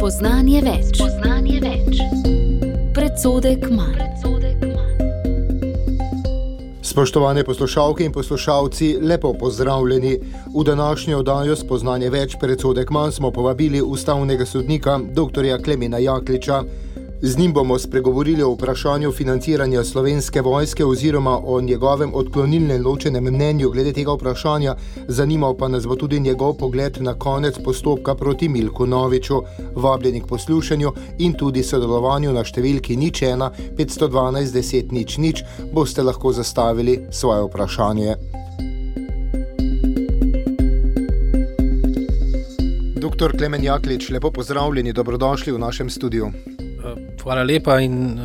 Spoznanje več. Predsodek manj. Spoštovane poslušalke in poslušalci, lepo pozdravljeni. V današnjo oddajo Spoznanje več predsodek manj smo povabili ustavnega sodnika dr. Klemena Jakliča. Z njim bomo spregovorili o vprašanju financiranja Slovenske vojske oziroma o njegovem odklonilnem ločenem mnenju glede tega vprašanja. Zanimal pa nas bo tudi njegov pogled na konec postopka proti Milku Noviču. Vabljeni k poslušanju in tudi sodelovanju na številki 01 512 10 00 boste lahko zastavili svoje vprašanje. Dr. Klemen Jaklič, lepo pozdravljeni, dobrodošli v našem studiu. Hvala lepa in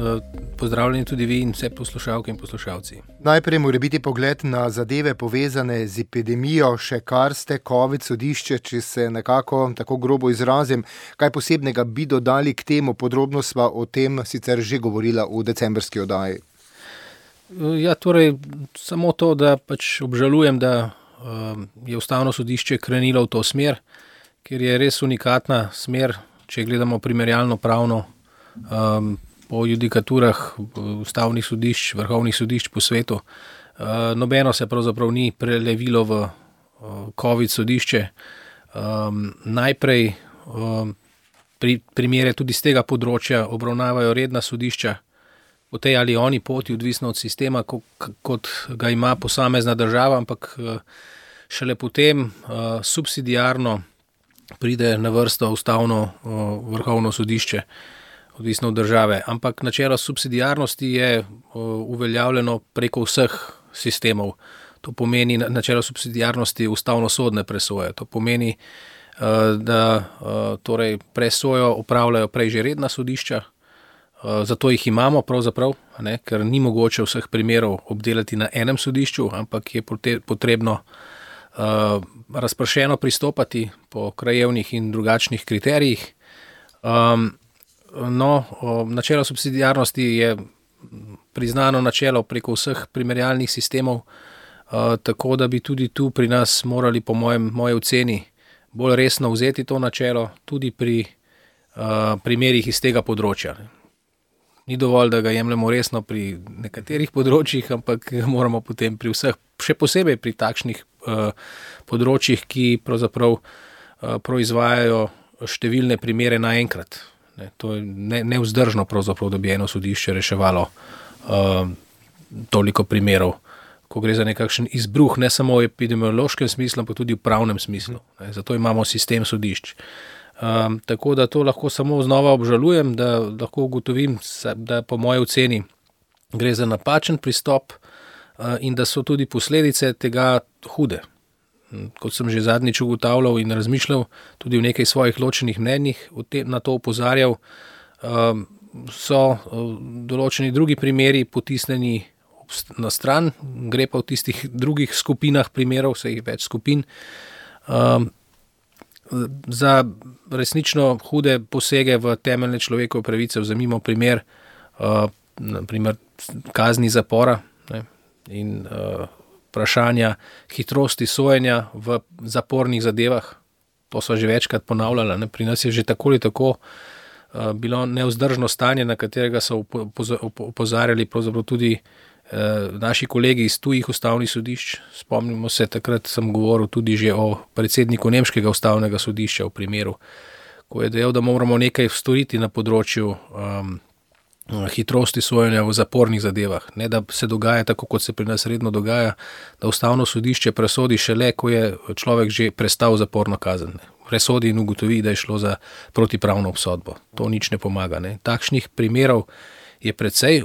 pozdravljeni tudi vi in vse poslušalke in poslušalci. Najprej mora biti pogled na zadeve povezane z epidemijo, še kar ste COVID sodišče, če se nekako tako grobo izrazim. Kaj posebnega bi dodali k temu? Podrobno sva o tem sicer že govorila v decembrski oddaji. Ja, torej samo to, da pač obžalujem, da je ustavno sodišče krenilo v to smer, ker je res unikatna smer, če gledamo primerjalno pravno po judikaturah ustavnih sodišč, vrhovnih sodišč po svetu. Nobeno se pravzaprav ni prelevilo v COVID sodišče. Najprej primere tudi z tega področja obravnavajo redna sodišča po tej ali oni poti, odvisno od sistema, kot ga ima posamezna država, ampak šele potem subsidiarno pride na vrsto ustavno vrhovno sodišče, odvisno od države. Ampak načelo subsidiarnosti je uveljavljeno preko vseh sistemov. To pomeni načelo subsidiarnosti ustavno-sodne presoje. To pomeni, da torej presojo opravljajo prej že redna sodišča, zato jih imamo pravzaprav, ker ni mogoče vseh primerov obdelati na enem sodišču, ampak je potrebno razpršeno pristopati po krajevnih in drugačnih kriterijih. Načelo subsidiarnosti je priznano načelo preko vseh primerjalnih sistemov, tako da bi tudi tu pri nas morali, po moje oceni, bolj resno vzeti to načelo tudi pri primerih iz tega področja. Ni dovolj, da ga jemljemo resno pri nekaterih področjih, ampak moramo potem pri vseh, še posebej pri takšnih področjih, ki pravzaprav proizvajajo številne primere naenkrat. To je nevzdržno pravzaprav, da bi eno sodišče reševalo toliko primerov, ko gre za nekakšen izbruh, ne samo v epidemiološkem smislu, ampak tudi v pravnem smislu. Zato imamo sistem sodišč. Tako da to lahko samo znova obžalujem, da lahko ugotovim, da po moji oceni gre za napačen pristop in da so tudi posledice tega hude. Kot sem že zadnjič ugotavljal in razmišljal, tudi v nekaj svojih ločenih mnenjih na to opozarjal, so določeni drugi primeri potisnjeni na stran, gre pa v tistih drugih skupinah primerov, vseh več skupin, za resnično hude posege v temeljne človekove pravice. Vzemimo primer, naprimer kazni zapora in vprašanja hitrosti sojenja v zapornih zadevah. To so že večkrat ponavljala. Pri nas je že tako ali tako bilo nevzdržno stanje, na katerega so opozarjali pravzaprav tudi naši kolegi iz tujih ustavnih sodišč. Spomnimo se, takrat sem govoril tudi že o predsedniku nemškega ustavnega sodišča v primeru, ko je dejal, da moramo nekaj storiti na področju hitrosti sojenja v zapornih zadevah. Ne, da se dogaja tako, kot se pri nas redno dogaja, da ustavno sodišče presodi šele, ko je človek že prestal zaporno kazen. Presodi in ugotovi, da je šlo za protipravno obsodbo. To nič ne pomaga. Takšnih primerov je precej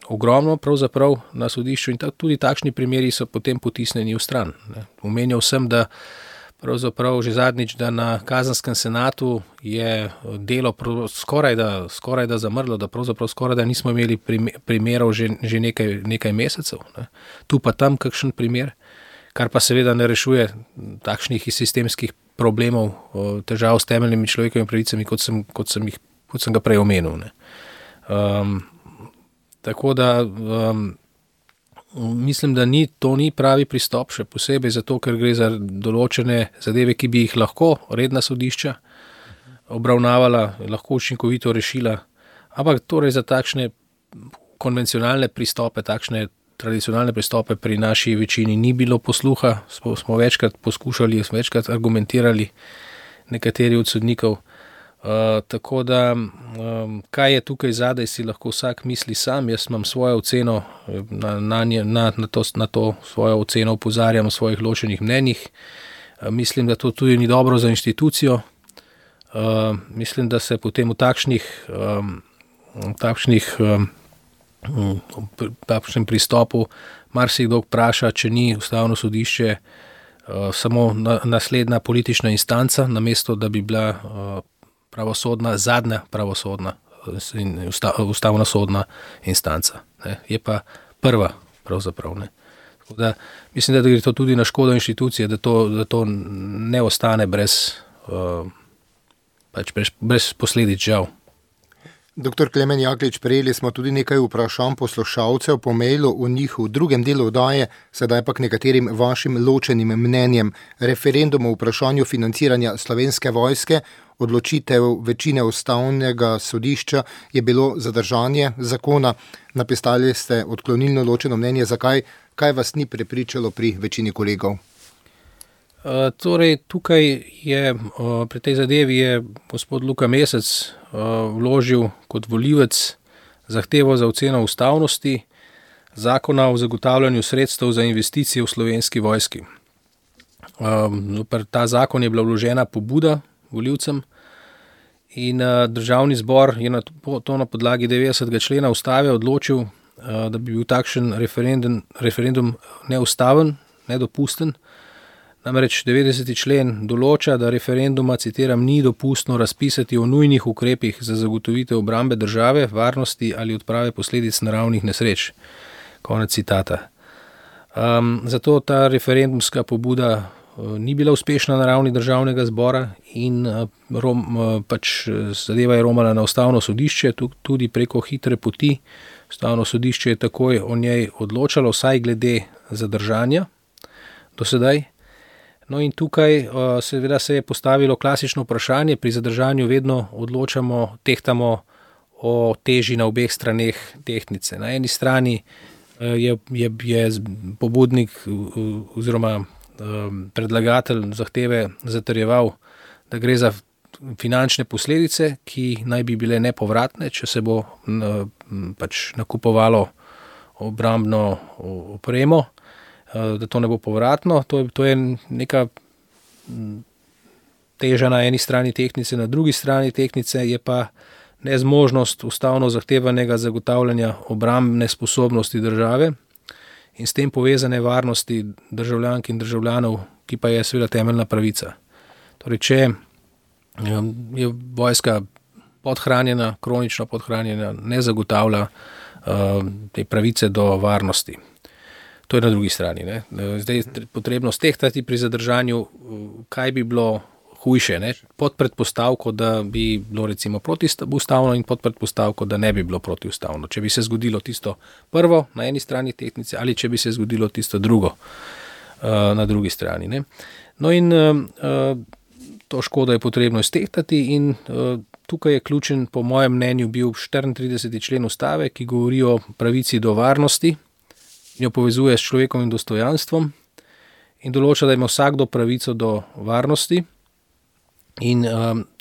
ogromno pravzaprav na sodišču in tudi takšni primeri so potem potisnjeni v stran. Omenjal sem, da pravzaprav že zadnjič, da na kazenskem senatu je delo skoraj da zamrlo, da pravzaprav skoraj da nismo imeli primerov že nekaj mesecev. Tu pa tam kakšen primer, kar pa seveda ne rešuje takšnih sistemskih problemov, težav s temeljnimi človekovimi pravicami, kot sem ga prej omenil. Tako da mislim, da to ni pravi pristop, še posebej zato, ker gre za določene zadeve, ki bi jih lahko redna sodišča obravnavala, lahko učinkovito rešila, ampak torej za takšne konvencionalne pristope, takšne tradicionalne pristope pri naši večini ni bilo posluha, smo večkrat poskušali, smo večkrat argumentirali nekateri od sodnikov. Tako da, kaj je tukaj zadaj, si lahko vsak misli sam. Jaz imam svojo oceno, na to svojo oceno opozarjam v svojih ločenih mnenjih. Mislim, da to tudi ni dobro za inštitucijo. Mislim, da se potem v takšnem pristopu marsikdo vpraša, če ni Ustavno sodišče samo naslednja politična instanca, namesto da bi bila zadnja pravosodna in ustavna sodna instanca. Ne. Je pa prva pravzaprav. Ne. Tako da mislim, da gre to tudi na škodo inštitucije, da to ne ostane brez posledic, žal. Dr. Klemen Jaklič, prejeli smo tudi nekaj vprašanj poslušalcev po mailu, v njih v drugem delu oddaje, sedaj pa k nekaterim vašim ločenim mnenjem. Referendum o vprašanju financiranja Slovenske vojske, odločitev večine Ustavnega sodišča je bilo zadržanje zakona. Napisali ste odklonilno ločeno mnenje. Zakaj? Kaj vas ni prepričalo pri večini kolegov? Torej, tukaj je, pri tej zadevi je gospod Luka Mesec vložil kot volivec zahtevo za oceno ustavnosti zakona o zagotavljanju sredstev za investicije v Slovenski vojski. Ta zakon je bila vložena pobuda volivcem in Državni zbor je to na podlagi 90. člena Ustave odločil, da bi bil takšen referendum neustaven, nedopusten. Namreč 90. člen določa, da referenduma, citiram, ni dopustno razpisati o nujnih ukrepih za zagotovitev obrambe države, varnosti ali odprave posledic naravnih nesreč. Konec citata. Zato ta referendumska pobuda ni bila uspešna na ravni Državnega zbora in zadeva je romala na Ustavno sodišče, tudi preko hitre poti. Ustavno sodišče je takoj o njej odločalo, vsaj glede zadržanja do sedaj. No in tukaj seveda se je postavilo klasično vprašanje, pri zadržanju vedno tehtamo o teži na obeh straneh tehtnice. Na eni strani je pobudnik oziroma predlagatelj zahteve zatrjeval, da gre za finančne posledice, ki naj bi bile nepovratne, če se bo nakupovalo obrambno opremo, da to ne bo povratno. To je neka teža na eni strani tehtnice, na drugi strani tehtnice je pa nezmožnost ustavno zahtevanega zagotavljanja obrambne sposobnosti države in s tem povezane varnosti državljank in državljanov, ki pa je seveda temeljna pravica. Torej, če je vojska podhranjena, kronično podhranjena, ne zagotavlja te pravice do varnosti. To je na drugi strani. Ne. Zdaj je potrebno stehtati pri zadržanju, kaj bi bilo hujše, ne. Pod predpostavko, da bi bilo recimo protiustavno in pod predpostavko, da ne bi bilo protiustavno. Če bi se zgodilo tisto prvo na eni strani tehtnice ali če bi se zgodilo tisto drugo na drugi strani. Ne. No in to škodo je potrebno iztehtati in tukaj je ključen, po mojem mnenju, bil 34. člen Ustave, ki govori o pravici do varnosti, jo povezuje s človekovim dostojanstvom in določa, da ima vsakdo pravico do varnosti in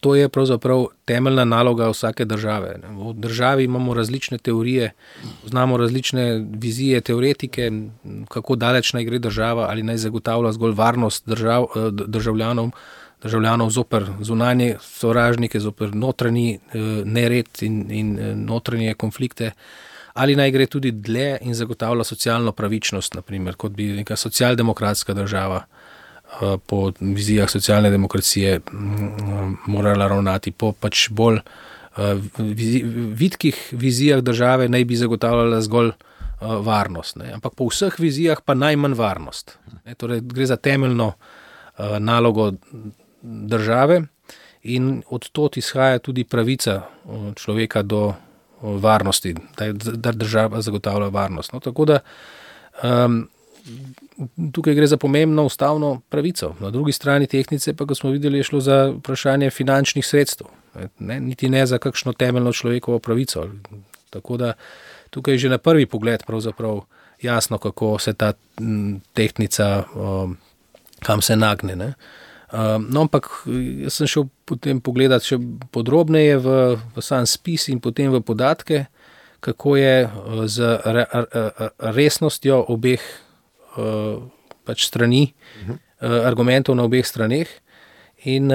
to je pravzaprav temeljna naloga vsake države. V državi imamo različne teorije, znamo različne vizije, teoretike, kako daleč naj gre država, ali naj zagotavlja zgolj varnost državljanov zoper zunanje sovražnike, zoper notranji nered in notranje konflikte, ali naj gre tudi dlje in zagotavlja socialno pravičnost, naprimer, kot bi neka socialdemokratska država po vizijah socialne demokracije morala ravnati. Po pač bolj vitkih vizijah države naj bi zagotavljala zgolj varnost. Ne. Ampak po vseh vizijah pa najmanj varnost. Ne. Torej, gre za temeljno nalogo države in od tod izhaja tudi pravica človeka do varnosti, da država zagotavlja varnost. No, tako da tukaj gre za pomembno ustavno pravico. Na drugi strani tehtnice pa, kot smo videli, je šlo za vprašanje finančnih sredstev, niti ne za kakšno temeljno človekovo pravico. Tako da tukaj je že na prvi pogled pravzaprav jasno, kako se ta tehtnica, kam se nagne. Ne. No, ampak jaz sem šel potem pogledati še podrobneje v sam spis in potem v podatke, kako je z resnostjo obeh pač strani, argumentov na obeh straneh. In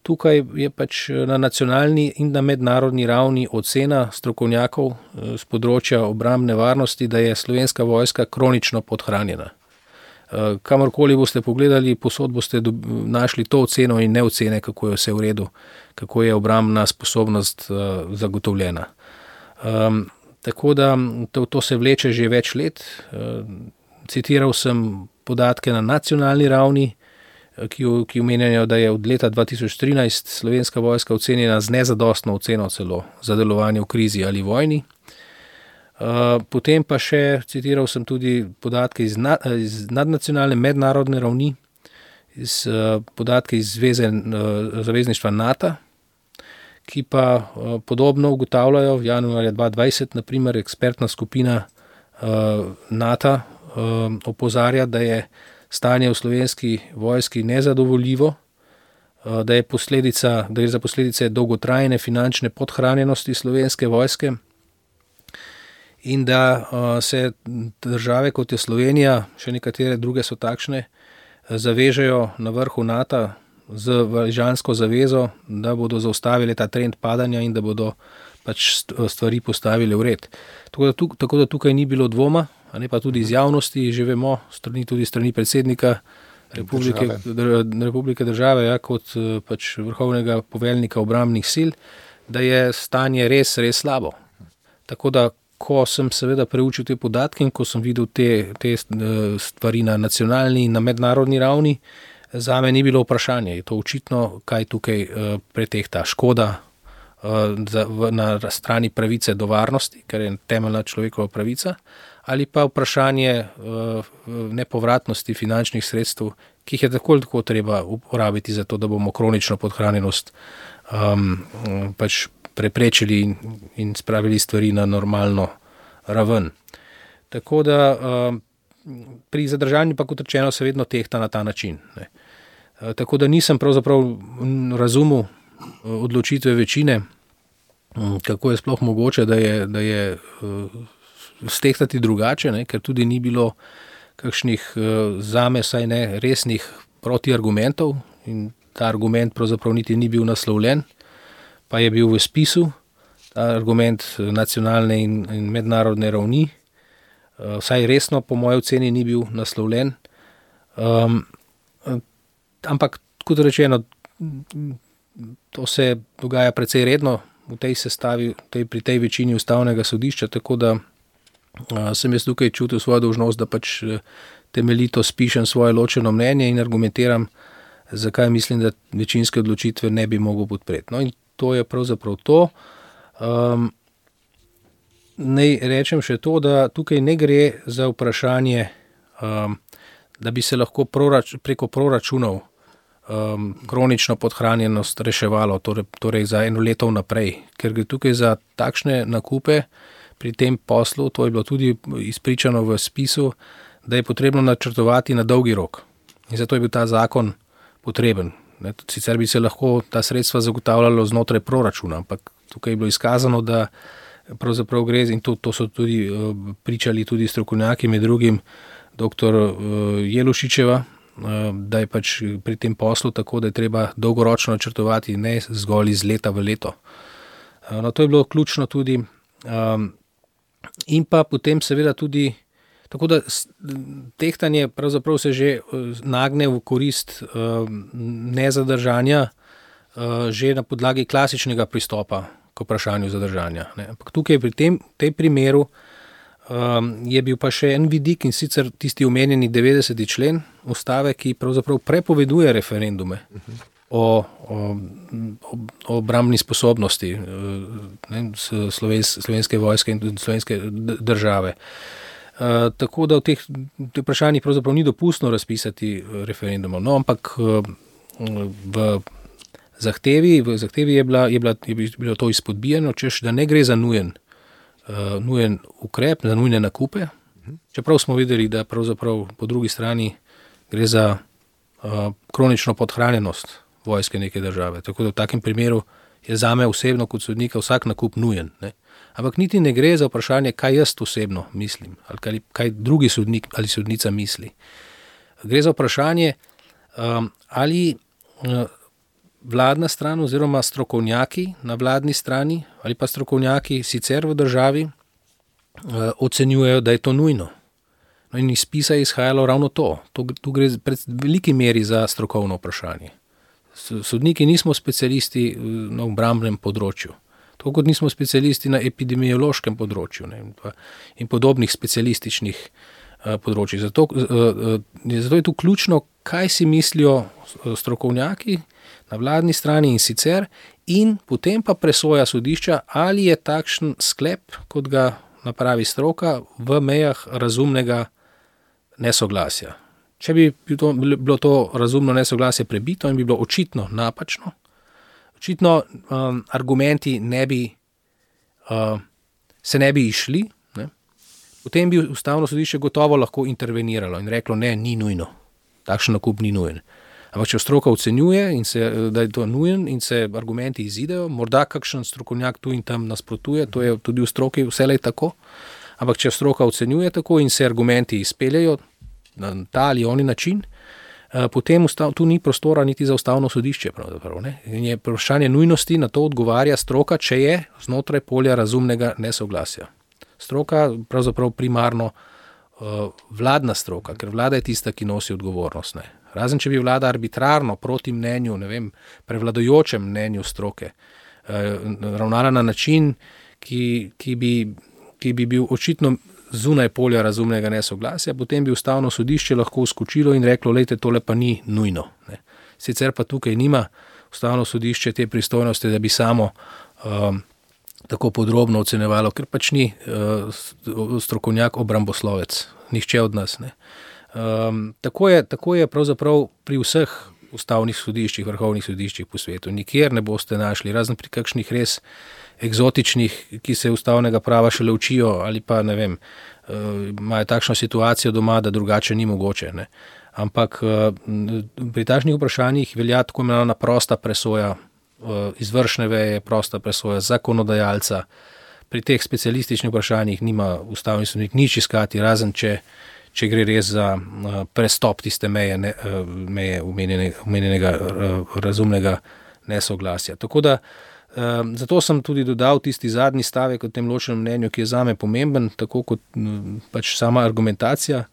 tukaj je pač na nacionalni in na mednarodni ravni ocena strokovnjakov z področja obrambne varnosti, da je Slovenska vojska kronično podhranjena. Kamorkoli boste pogledali, posod boste našli to oceno in ne ocene, kako je vse v redu, kako je obrambna sposobnost zagotovljena. Tako da to se vleče že več let. Citiral sem podatke na nacionalni ravni, ki omenjajo, da je od leta 2013 Slovenska vojska ocenjena z nezadostno oceno celo za delovanje v krizi ali vojni. Potem pa še citiral sem tudi podatke iz nadnacionalne mednarodne ravni, podatke iz zavezništva NATO, ki pa podobno ugotavljajo. V januarja 2020, na primer, ekspertna skupina NATO opozarja, da je stanje v Slovenski vojski nezadovoljivo, da je za posledice dolgotrajne finančne podhranjenosti Slovenske vojske in da se države, kot je Slovenija, še nekatere druge so takšne, zavežejo na vrhu NATO z valižansko zavezo, da bodo zaustavili ta trend padanja in da bodo pač stvari postavili v red. Tako da tukaj ni bilo dvoma, a ne pa tudi iz javnosti, že vemo, tudi strani predsednika Republike države, ja, kot pač vrhovnega poveljnika obrambnih sil, da je stanje res, res slabo. Tako da, ko sem seveda preučil te podatke in ko sem videl te stvari na nacionalni in na mednarodni ravni, zame ni bilo vprašanje. Je to očitno, kaj tukaj pretehta škoda na strani pravice do varnosti, ker je temeljna človekova pravica, ali pa vprašanje nepovratnosti finančnih sredstev, ki jih je tako ali tako treba uporabiti za to, da bomo kronično podhranjenost pač preprečili in spravili stvari na normalno raven. Tako da pri zadržanju pa, kot rečeno, se vedno tehta na ta način. Ne. Tako da nisem pravzaprav razumel odločitve večine, kako je sploh mogoče, da je stehtati drugače, ne, ker tudi ni bilo kakšnih zame saj ne resnih protiargumentov in ta argument pravzaprav niti ni bil naslovljen, pa je bil v spisu, ta argument nacionalne in mednarodne ravni, vsaj resno po moji oceni ni bil naslovljen. Ampak, kot rečeno, to se dogaja precej redno v tej sestavi, pri tej večini ustavnega sodišča, tako da sem jaz tukaj čutil svojo dolžnost, da pač temeljito spišem svoje ločeno mnenje in argumentiram, zakaj mislim, da večinske odločitve ne bi mogel podpreti. No in to je pravzaprav to. Naj rečem še to, da tukaj ne gre za vprašanje, da bi se lahko preko proračunov kronično podhranjenost reševalo, torej za eno leto vnaprej, ker gre tukaj za takšne nakupe pri tem poslu, to je bilo tudi izpričano v spisu, da je potrebno načrtovati na dolgi rok. In zato je bil ta zakon potreben. Sicer bi se lahko ta sredstva zagotavljalo znotraj proračuna, ampak tukaj je bilo izkazano, da pravzaprav gre, in to so tudi pričali tudi strokovnjaki, med drugim dr. Jelušičeva, da je pač pri tem poslu tako, da je treba dolgoročno načrtovati, ne zgolj iz leta v leto. No, to je bilo ključno tudi. In pa potem seveda tudi, tako da tehtanje pravzaprav se že nagne v korist nezadržanja že na podlagi klasičnega pristopa k vprašanju zadržanja. Ampak tukaj pri tem primeru je bil pa še en vidik, in sicer tisti omenjeni 90. člen ustave, ki pravzaprav prepoveduje referendume o obrambni sposobnosti Slovenske vojske in slovenske države. Tako da v teh vprašanjih pravzaprav ni dopustno razpisati referendumov. No, ampak v zahtevi je bilo to izpodbijano, češ, da ne gre za nujen ukrep, za nujne nakupe, čeprav smo videli, da pravzaprav po drugi strani gre za kronično podhranjenost vojske neke države. Tako da v takem primeru je zame osebno kot sodnika vsak nakup nujen. Ne? Ampak niti ne gre za vprašanje, kaj jaz osebno mislim, ali kaj drugi sodnik ali sodnica misli. Gre za vprašanje, ali vladna stran oziroma strokovnjaki na vladni strani ali pa strokovnjaki sicer v državi ocenjujejo, da je to nujno. No in iz spisa je izhajalo ravno to. Tu gre v veliki meri za strokovno vprašanje. Sodniki nismo specialisti na obrambnem področju. Tako kot nismo specialisti na epidemiološkem področju, ne, in podobnih specialističnih področjih. Zato je tu ključno, kaj si mislijo strokovnjaki na vladni strani in sicer, in potem pa presoja sodišča, ali je takšen sklep, kot ga napravi stroka, v mejah razumnega nesoglasja. Če bi bilo to razumno nesoglasje prebito in bi bilo očitno napačno, očitno argumenti se ne bi išli, ne, potem bi Ustavno sodišče gotovo lahko interveniralo in reklo, ne, ni nujno, takšen nakup ni nujen. Ampak če stroka ocenjuje, da je to nujen in se argumenti izidejo, morda kakšen strokovnjak tu in tam nasprotuje, to je tudi v stroki vselej tako, ampak če stroka ocenjuje tako in se argumenti izpeljajo na ta ali oni način, potem tu ni prostora niti za Ustavno sodišče. Ne? In je vprašanje nujnosti, na to odgovarja stroka, če je znotraj polja razumnega nesoglasja. Stroka pravzaprav primarno vladna stroka, ker vlada je tista, ki nosi odgovornost. Ne? Razen, če bi vlada arbitrarno proti mnenju, ne vem, prevladojočem mnenju stroke ravnala na način, ki bi bil očitno zunaj polja razumnega nesoglasja, potem bi Ustavno sodišče lahko vskočilo in reklo, lejte, tole pa ni nujno. Ne. Sicer pa tukaj nima Ustavno sodišče te pristojnosti, da bi samo tako podrobno ocenjevalo, ker pač ni strokovnjak obramboslovec, nihče od nas. Ne. Tako je pravzaprav pri vseh ustavnih sodiščih, vrhovnih sodiščih po svetu. Nikjer ne boste našli, razen pri kakšnih res eksotičnih, ki se ustavnega prava šele učijo ali pa, ne vem, imajo takšno situacijo doma, da drugače ni mogoče. Ne. Ampak pri takšnih vprašanjih velja tako imenovana prosta presoja izvršne veje, prosta presoja zakonodajalca. Pri teh specialističnih vprašanjih nima ustavni sodnik nič iskati, razen če gre res za prestop tiste meje omenjenega razumnega nesoglasja. Tako da zato sem tudi dodal tisti zadnji stavek o tem ločenem mnenju, ki je zame pomemben, tako kot pač sama argumentacija,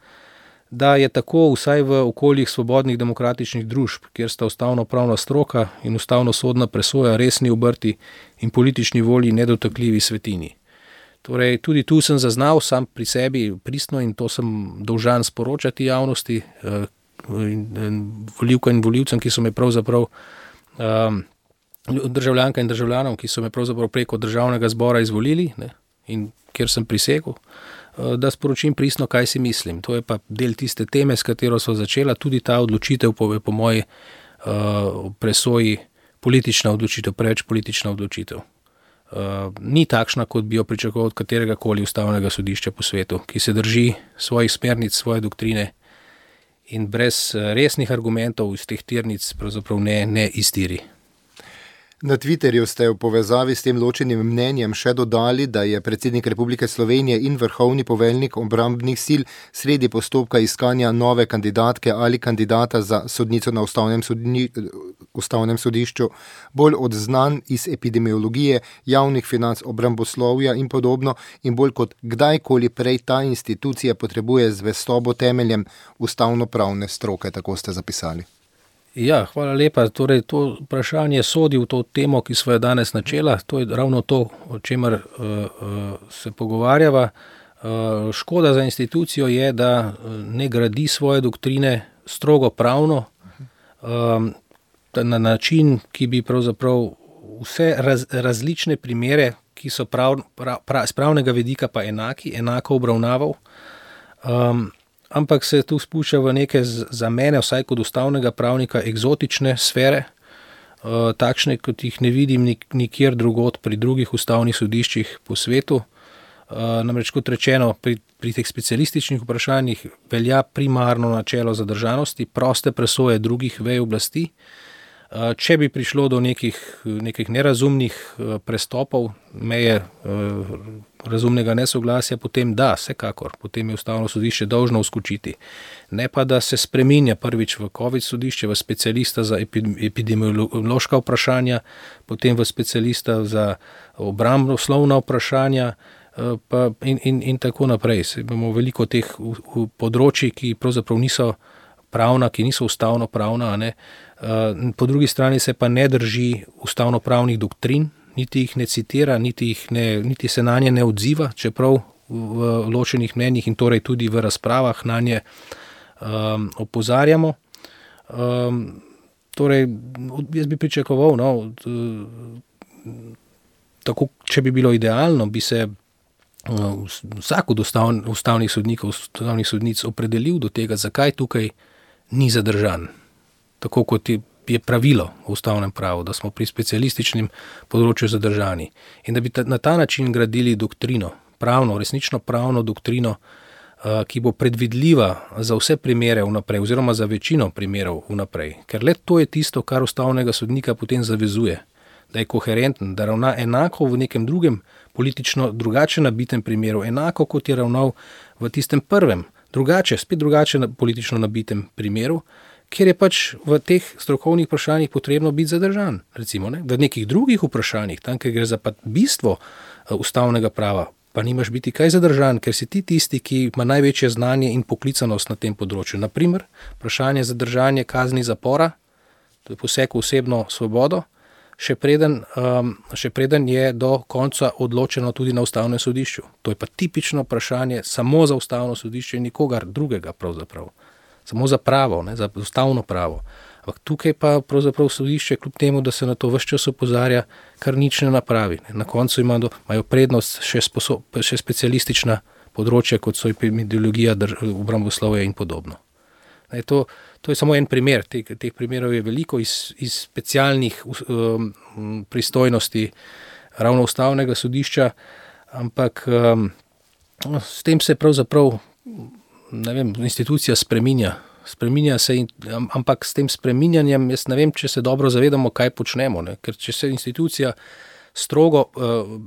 da je tako vsaj v okoljih svobodnih demokratičnih družb, kjer sta ustavno-pravna stroka in ustavno-sodna presoja resni obrti in politični volji nedotakljivi svetini. Torej, tudi tu sem zaznal sam pri sebi pristno in to sem dolžan sporočati javnosti, volivkam in volivcem, ki so me pravzaprav državljanka in državljanom, ki so me pravzaprav preko državnega zbora izvolili, ne, in kjer sem prisegel, da sporočim pristno, kaj si mislim. To je pa del tiste teme, s katero so začela, tudi ta odločitev po moji presoji politična odločitev, preveč politična odločitev. Ni takšna, kot bi jo pričakoval od katerega koli ustavnega sodišča po svetu, ki se drži svojih smernic, svoje doktrine in brez resnih argumentov iz teh tirnic pravzaprav ne iztiri. Na Twitterju ste v povezavi s tem ločenim mnenjem še dodali, da je predsednik Republike Slovenije in vrhovni poveljnik obrambnih sil sredi postopka iskanja nove kandidatke ali kandidata za sodnico na ustavnem sodišču bolj odznanj iz epidemiologije, javnih financ, obramboslovja in podobno, in bolj kot kdajkoli prej ta institucija potrebuje zvestobo temeljem ustavno-pravne stroke, tako ste zapisali. Ja, hvala lepa. Torej, to vprašanje sodi v to temo, ki smo jo danes načela. To je ravno to, o čemer se pogovarjava. Škoda za institucijo je, da ne gradi svoje doktrine strogo pravno, na način, ki bi pravzaprav vse različne primere, ki so z pravnega vidika pa enako obravnaval, Ampak se tu spušča v neke za mene, vsaj kot ustavnega pravnika, eksotične sfere, takšne, kot jih ne vidim nikjer drugod pri drugih ustavnih sodiščih po svetu. Namreč, kot rečeno, pri teh specialističnih vprašanjih velja primarno načelo zadržanosti, proste presoje drugih vej oblasti. Če bi prišlo do nekih nerazumnih prestopov, meje razumnega nesoglasja, potem da, vsekakor, potem je ustavno sodišče dolžno vskočiti. Ne pa, da se spreminja prvič v COVID sodišče, v specialista za epidemiološka vprašanja, potem v specialista za obramboslovna vprašanja, in tako naprej. Imamo veliko teh področji, ki pravzaprav niso pravna, ki niso ustavno pravna, a ne. Po drugi strani se pa ne drži ustavnopravnih doktrin, niti jih ne citira, niti se na nje ne odziva, čeprav v ločenih mnenjih in torej tudi v razpravah na nje opozarjamo. Torej, jaz bi pričakoval, tako, če bi bilo idealno, bi se vsak od ustavnih sodnikov, ustavnih sodnic opredelil do tega, zakaj tukaj ni zadržan. Tako kot je pravilo v ustavnem pravu, da smo pri specialističnem področju zadržani. In da bi na ta način gradili doktrino, resnično pravno doktrino, ki bo predvidljiva za vse primere vnaprej, oziroma za večino primerov vnaprej. Ker le to je tisto, kar ustavnega sodnika potem zavezuje, da je koherenten, da ravna enako v nekem drugem politično drugače nabitem primeru, enako kot je ravnal v tistem prvem, spet drugače politično nabitem primeru, kjer je pač v teh strokovnih vprašanjih potrebno biti zadržan. Recimo, v nekih drugih vprašanjih, tam, ker gre za bistvo ustavnega prava, pa nimaš biti kaj zadržan, ker si ti tisti, ki ima največje znanje in poklicanost na tem področju. Naprimer, vprašanje zadržanja kazni zapora, to je poseg v osebno svobodo, še preden je do konca odločeno tudi na ustavnem sodišču. To je pa tipično vprašanje samo za ustavno sodišče in nikogar drugega pravzaprav. Samo za pravo, za ustavno pravo. Ampak tukaj pa pravzaprav sodišče, kljub temu, da se na to ves čas opozarja, kar nič ne napravi. Na koncu imajo prednost še specialistična področja, kot so epidemiologija, obramboslovje in podobno. To je samo en primer, teh primerov je veliko iz specialnih pristojnosti ravno ustavnega sodišča, ampak s tem se pravzaprav, institucija spreminja se, ampak s tem spreminjanjem jaz ne vem, če se dobro zavedamo, kaj počnemo, ker če se institucija strogo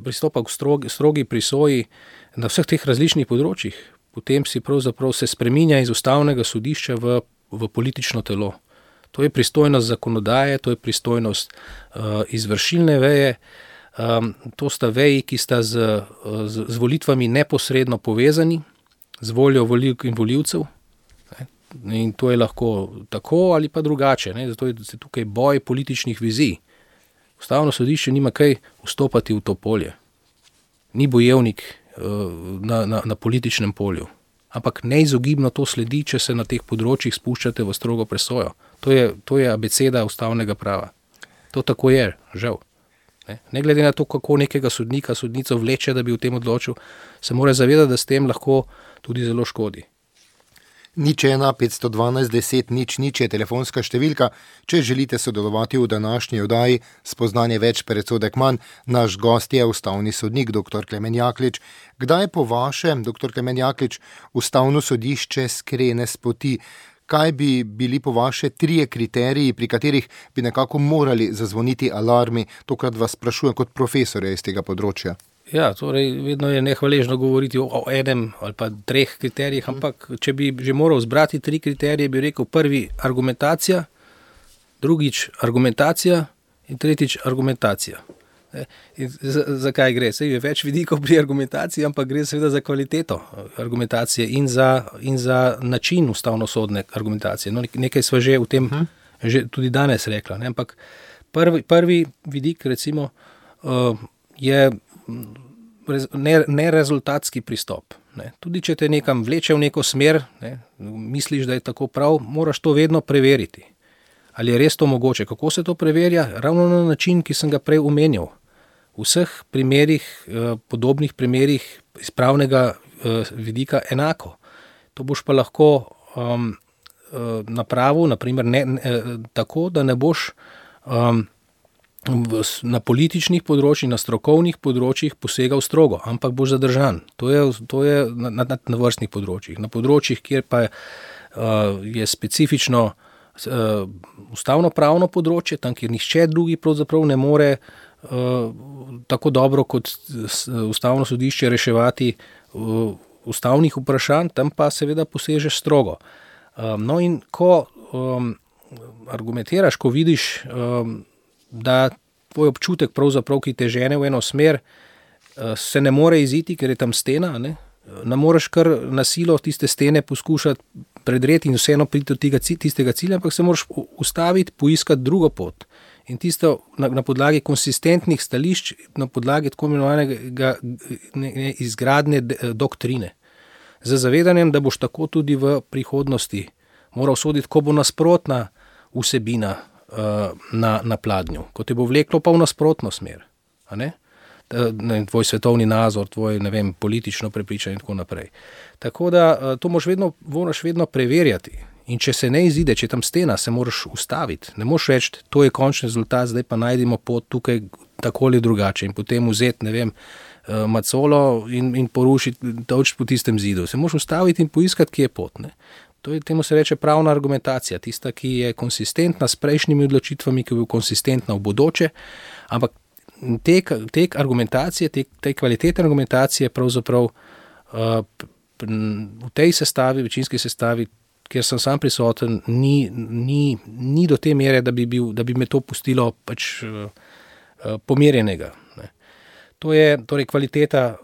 pristopa k strogi prisoji na vseh teh različnih področjih, potem si pravzaprav se spreminja iz ustavnega sodišča v politično telo. To je pristojnost zakonodaje, to je pristojnost izvršilne veje, to sta veji, ki sta z volitvami neposredno povezani, z voljo volivk in volivcev. In to je lahko tako ali pa drugače. Zato je tukaj boj političnih vizij. Ustavno sodišče nima kaj vstopati v to polje. Ni bojevnik na političnem polju. Ampak neizogibno to sledi, če se na teh področjih spuščate v strogo presojo. To je abeceda ustavnega prava. To tako je, žal. Ne glede na to, kako nekega sodnico vleče, da bi o tem odločil, se mora zavedati, da s tem lahko tudi zelo škodi. 01 512 10 00 je telefonska številka, če želite sodelovati v današnji oddaji Spoznanje več, predsodek manj. Naš gost je ustavni sodnik dr. Klemen Jaklič. Kdaj po vašem, dr. Klemen Jaklič, ustavno sodišče skrene s poti? Kaj bi bili po vaše 3 kriteriji, pri katerih bi nekako morali zazvoniti alarmi? Tokrat vas sprašujem kot profesorja iz tega področja. Ja, torej vedno je nehvaležno govoriti o enem ali pa 3 kriterijih, ampak če bi že moral zbrati 3 kriterije, bi rekel prvi argumentacija, drugič argumentacija in tretjič argumentacija. Zakaj gre? Saj je več vidikov pri argumentaciji, ampak gre seveda za kvaliteto argumentacije in za način ustavnosodne argumentacije. Nekaj sva že v tem že tudi danes rekla, ampak prvi vidik recimo je nerezultatski pristop. Tudi če te nekam vleče v neko smer, misliš, da je tako prav, moraš to vedno preveriti. Ali je res to mogoče? Kako se to preverja? Ravno na način, ki sem ga prej omenjal. V vseh primerih, podobnih primerih iz pravnega vidika enako. To boš pa lahko napravil, naprimer, tako, da ne boš na političnih področjih, na strokovnih področjih posegal strogo, ampak boš zadržan. To je na vrstnih področjih. Na področjih, kjer pa je specifično ustavno-pravno področje, tam, kjer nihče drugi pravzaprav ne more tako dobro kot ustavno sodišče reševati ustavnih vprašanj, tam pa seveda posežeš strogo. No in ko argumentiraš, ko vidiš, da tvoj občutek pravzaprav, ki te žene v eno smer, se ne more iziti, ker je tam stena, ne moreš kar na silo tiste stene poskušati predreti in vseeno priti do tistega cilja, ampak se moraš ustaviti, poiskati drugo pot. In tisto na podlagi konsistentnih stališč, na podlagi tako imenovanega izgradnje doktrine. Z zavedanjem, da boš tako tudi v prihodnosti moral soditi, ko bo nasprotna vsebina na pladnju, ko te bo vleklo pa v nasprotno smer. A ne? Tvoj svetovni nazor, tvoj, politično prepričanje in tako naprej. Tako da to moraš vedno preverjati. In če se ne izide, če tam stena, se moraš ustaviti. Ne moraš reči, to je končni rezultat, zdaj pa najdemo pot tukaj tako ali drugače in potem vzeti, macolo in porušiti toč po tistem zidu. Se moraš ustaviti in poiskati, kje je pot. Ne? Temu se reče pravna argumentacija, tista, ki je konsistentna s prejšnjimi odločitvami, ki je konsistentna v bodoče, ampak te argumentacije, te kvalitetne argumentacije pravzaprav v tej sestavi, večinski sestavi, kjer sem sam prisoten, ni do te mere, da bi me to pustilo pač pomirjenega. Ne. To je torej kvaliteta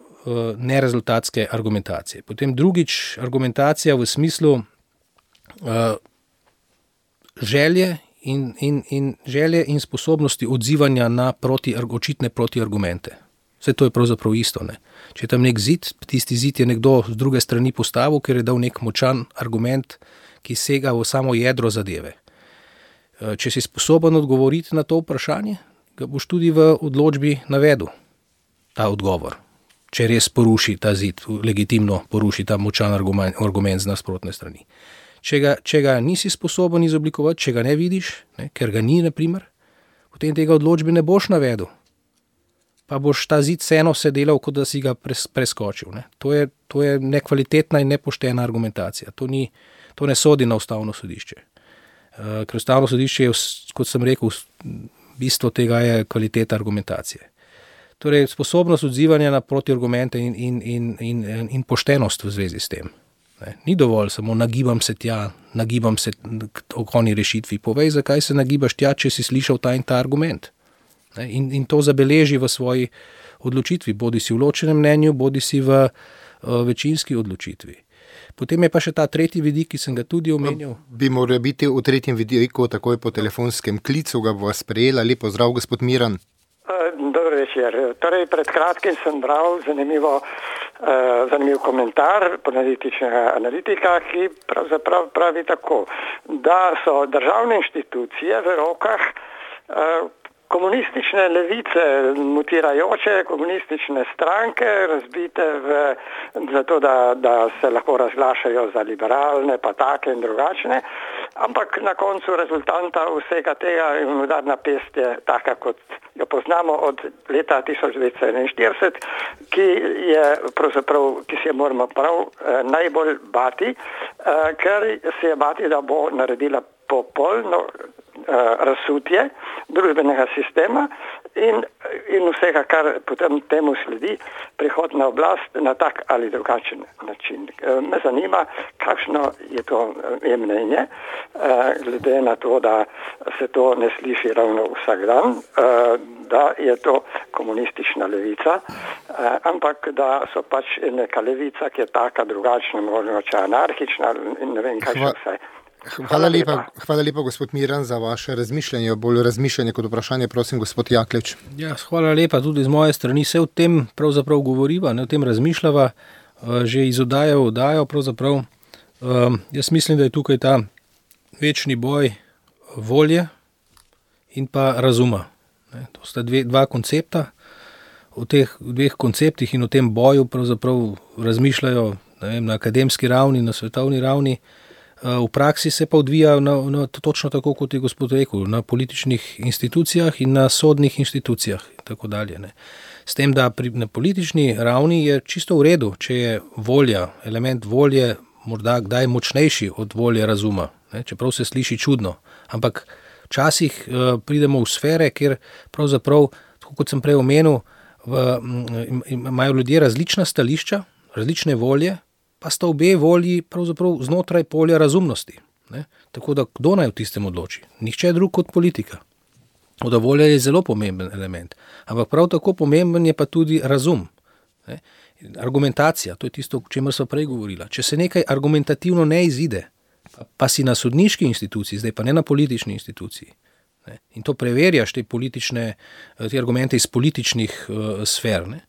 nerezultatske argumentacije. Potem drugič, argumentacija v smislu želje in sposobnosti odzivanja na očitne protiargumente. Vse to je pravzaprav isto. Ne. Če je tam nek zid, tisti zid je nekdo z druge strani postavil, ker je dal nek močan argument, ki sega v samo jedro zadeve. Če si sposoben odgovoriti na to vprašanje, ga boš tudi v odločbi navedel, ta odgovor. Če res poruši ta zid, legitimno poruši ta močan argument z nasprotne strani. Če ga nisi sposoben izoblikovati, če ga ne vidiš, ker ga ni, naprimer, potem tega odločbe ne boš navedel. Pa boš ta zid vseeno se delal, kot da si ga preskočil. Ne. To je nekvalitetna in nepoštena argumentacija. To ne sodi na ustavno sodišče. Ker ustavno sodišče je, kot sem rekel, bistvo tega je kvaliteta argumentacije. Torej, sposobnost odzivanja na protiargumente in poštenost v zvezi s tem. Ne. Ni dovolj samo nagibam se tja, nagibam se k oni rešitvi. Povej, zakaj se nagibaš tja, če si slišal ta in ta argument. Ne. In to zabeleži v svoji odločitvi, bodi si v ločenem mnenju, bodi si v večinski odločitvi. Potem je pa še ta tretji vidik, ki sem ga tudi omenil. Bi moral biti v tretjem vidiku takoj po telefonskem klicu, ga bo sprejela. Lep pozdrav, gospod Miran. Dobro večer. Torej, pred kratkim sem bral zanimiv komentar političnega analitika, ki pravzaprav pravi tako, da so državne inštitucije v rokah komunistične levice, mutirajoče komunistične stranke, razbite zato, da se lahko razglašajo za liberalne, pa take in drugačne, ampak na koncu rezultanta vsega tega je udarna pest je taka, kot jo poznamo od leta 1941, ki se je moramo prav najbolj bati, ker se je bati, da bo naredila popolno razsutje družbenega sistema in vsega, kar potem temu sledi, prihod na oblast na tak ali drugačen način. Me zanima, kakšno je to mnenje, glede na to, da se to ne sliši ravno vsak dan, da je to komunistična levica, ampak da so pač neka levica, ki je taka drugačna, mogoče anarhična in ne vem, kaj še vse. Hvala lepa, gospod Miran, za vaše razmišljanje, bolj razmišljanje kot vprašanje, prosim, gospod Jaklič. Ja, hvala lepa tudi z moje strani, se o tem pravzaprav govoriva, o tem razmišljava, že iz oddaje v oddajo pravzaprav. Jaz mislim, da je tukaj ta večni boj volje in pa razuma. To sta dva koncepta. O teh dveh konceptih in o tem boju pravzaprav razmišljajo na akademski ravni, na svetovni ravni, v praksi se pa odvija točno tako, kot je gospod rekel, na političnih institucijah in na sodnih institucijah in tako dalje. Ne. S tem, da na politični ravni je čisto v redu, če je volja, element volje morda kdaj močnejši od volje razuma, ne, čeprav se sliši čudno, ampak včasih pridemo v sfere, kjer pravzaprav, tako kot sem prej omenil, imajo ljudje različna stališča, različne volje, pa sta obe volji pravzaprav znotraj polja razumnosti. Ne? Tako da kdo naj v tistem odloči? Nihče drug kot politika. Oda volja je zelo pomemben element, ampak prav tako pomemben je pa tudi razum. Ne? Argumentacija, to je tisto, o čemer sva prej govorila. Če se nekaj argumentativno ne izide, pa si na sodniški instituciji, zdaj pa ne na politični instituciji, ne? In to preverjaš te argumente iz političnih sfer, ne?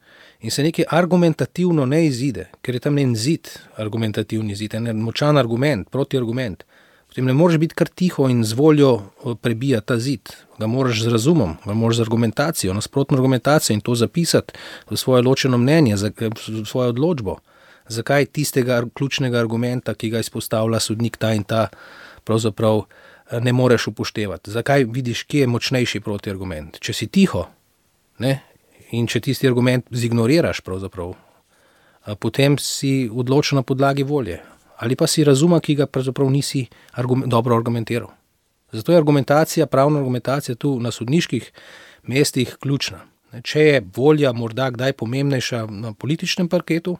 In se nekaj argumentativno ne izide, ker je tam en zid, argumentativni zid, en močan argument, protiargument, potem ne moreš biti kar tiho in z voljo prebijati ta zid. Ga moraš z razumom, ga moraš z argumentacijo, nasprotno argumentacijo in to zapisati v svoje ločeno mnenje, v svojo odločbo. Zakaj tistega ključnega argumenta, ki ga izpostavlja sodnik ta in ta, pravzaprav ne moreš upoštevati. Zakaj vidiš, kje je močnejši protiargument? Če si tiho, ne? In če tisti argument zignoriraš pravzaprav, potem si odločil na podlagi volje. Ali pa si razuma, ki ga pravzaprav nisi dobro argumentiral. Zato je argumentacija, pravna argumentacija tu na sodniških mestih ključna. Če je volja morda kdaj pomembnejša na političnem parketu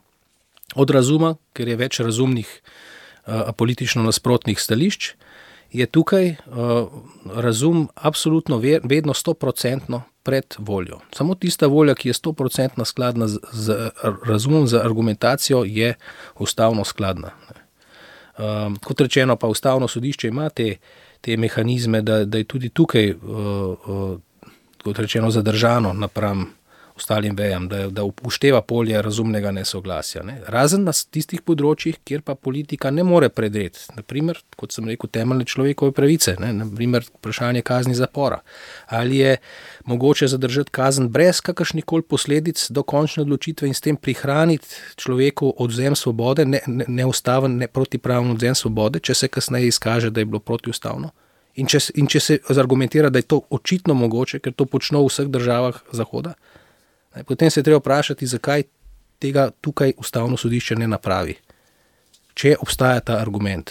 od razuma, ker je več razumnih politično nasprotnih stališč, je tukaj razum absolutno vedno 100% pred voljo. Samo tista volja, ki je 100% skladna z razumom, z argumentacijo, je ustavno skladna. Kot rečeno, pa ustavno sodišče ima te mehanizme, da je tudi tukaj, kot rečeno, zadržano napram ostalim vejam, da upošteva polje razumnega nesoglasja. Ne. Razen na tistih področjih, kjer pa politika ne more predreti. Naprimer, kot sem rekel, temeljne človekove pravice, ne. Naprimer, vprašanje kazni zapora. Ali je mogoče zadržati kazen brez kakršnikoli posledic do končne odločitve in s tem prihraniti človeku odvzem svobode, neustaven, protipraven odvzem svobode, če se kasneje izkaže, da je bilo protiustavno. In če se argumentira, da je to očitno mogoče, ker to počno v vseh državah Zahoda, potem se je treba vprašati, zakaj tega tukaj ustavno sodišče ne napravi, če obstaja ta argument.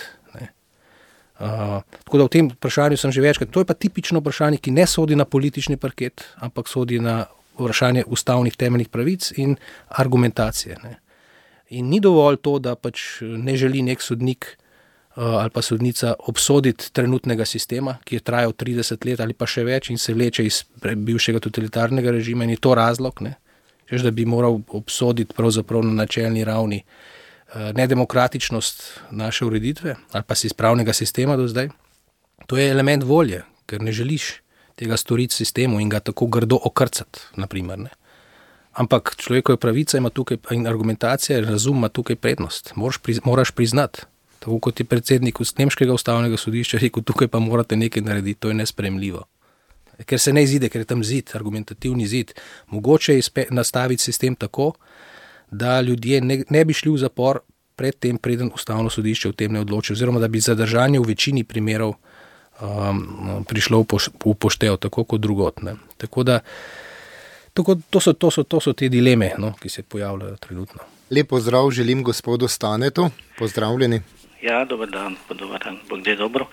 Tako da v tem vprašanju sem že večkrat, to je pa tipično vprašanje, ki ne sodi na politični parket, ampak sodi na vprašanje ustavnih temeljnih pravic in argumentacije. Ne. In ni dovolj to, da pač ne želi nek sodnik ali pa sodnica obsoditi trenutnega sistema, ki je trajal 30 let ali pa še več in se vleče iz bivšega totalitarnega režima in je to razlog, ne? Češ, da bi moral obsoditi pravzaprav na načelni ravni nedemokratičnost naše ureditve ali pa pravnega sistema do zdaj. To je element volje, ker ne želiš tega storiti sistemu in ga tako grdo okrcati, naprimer, ne? Ampak človekova pravica ima tukaj in argumentacija, razum ima tukaj prednost. Moraš priznati. Tako kot je predsednik Nemškega ustavnega sodišča rekel, tukaj pa morate nekaj narediti, to je nesprejemljivo. Ker se ne izide, ker je tam zid, argumentativni zid. Mogoče je nastaviti sistem tako, da ljudje ne bi šli v zapor pred tem, preden ustavno sodišče v tem ne odloči, oziroma da bi zadržanje v večini primerov prišlo v poštev, tako kot drugot. Ne. Tako da to so te dileme, no, ki se pojavljajo trenutno. Lep pozdrav želim gospodu Stanetu. Pozdravljeni. Ja, dober dan, Bog da je dobro.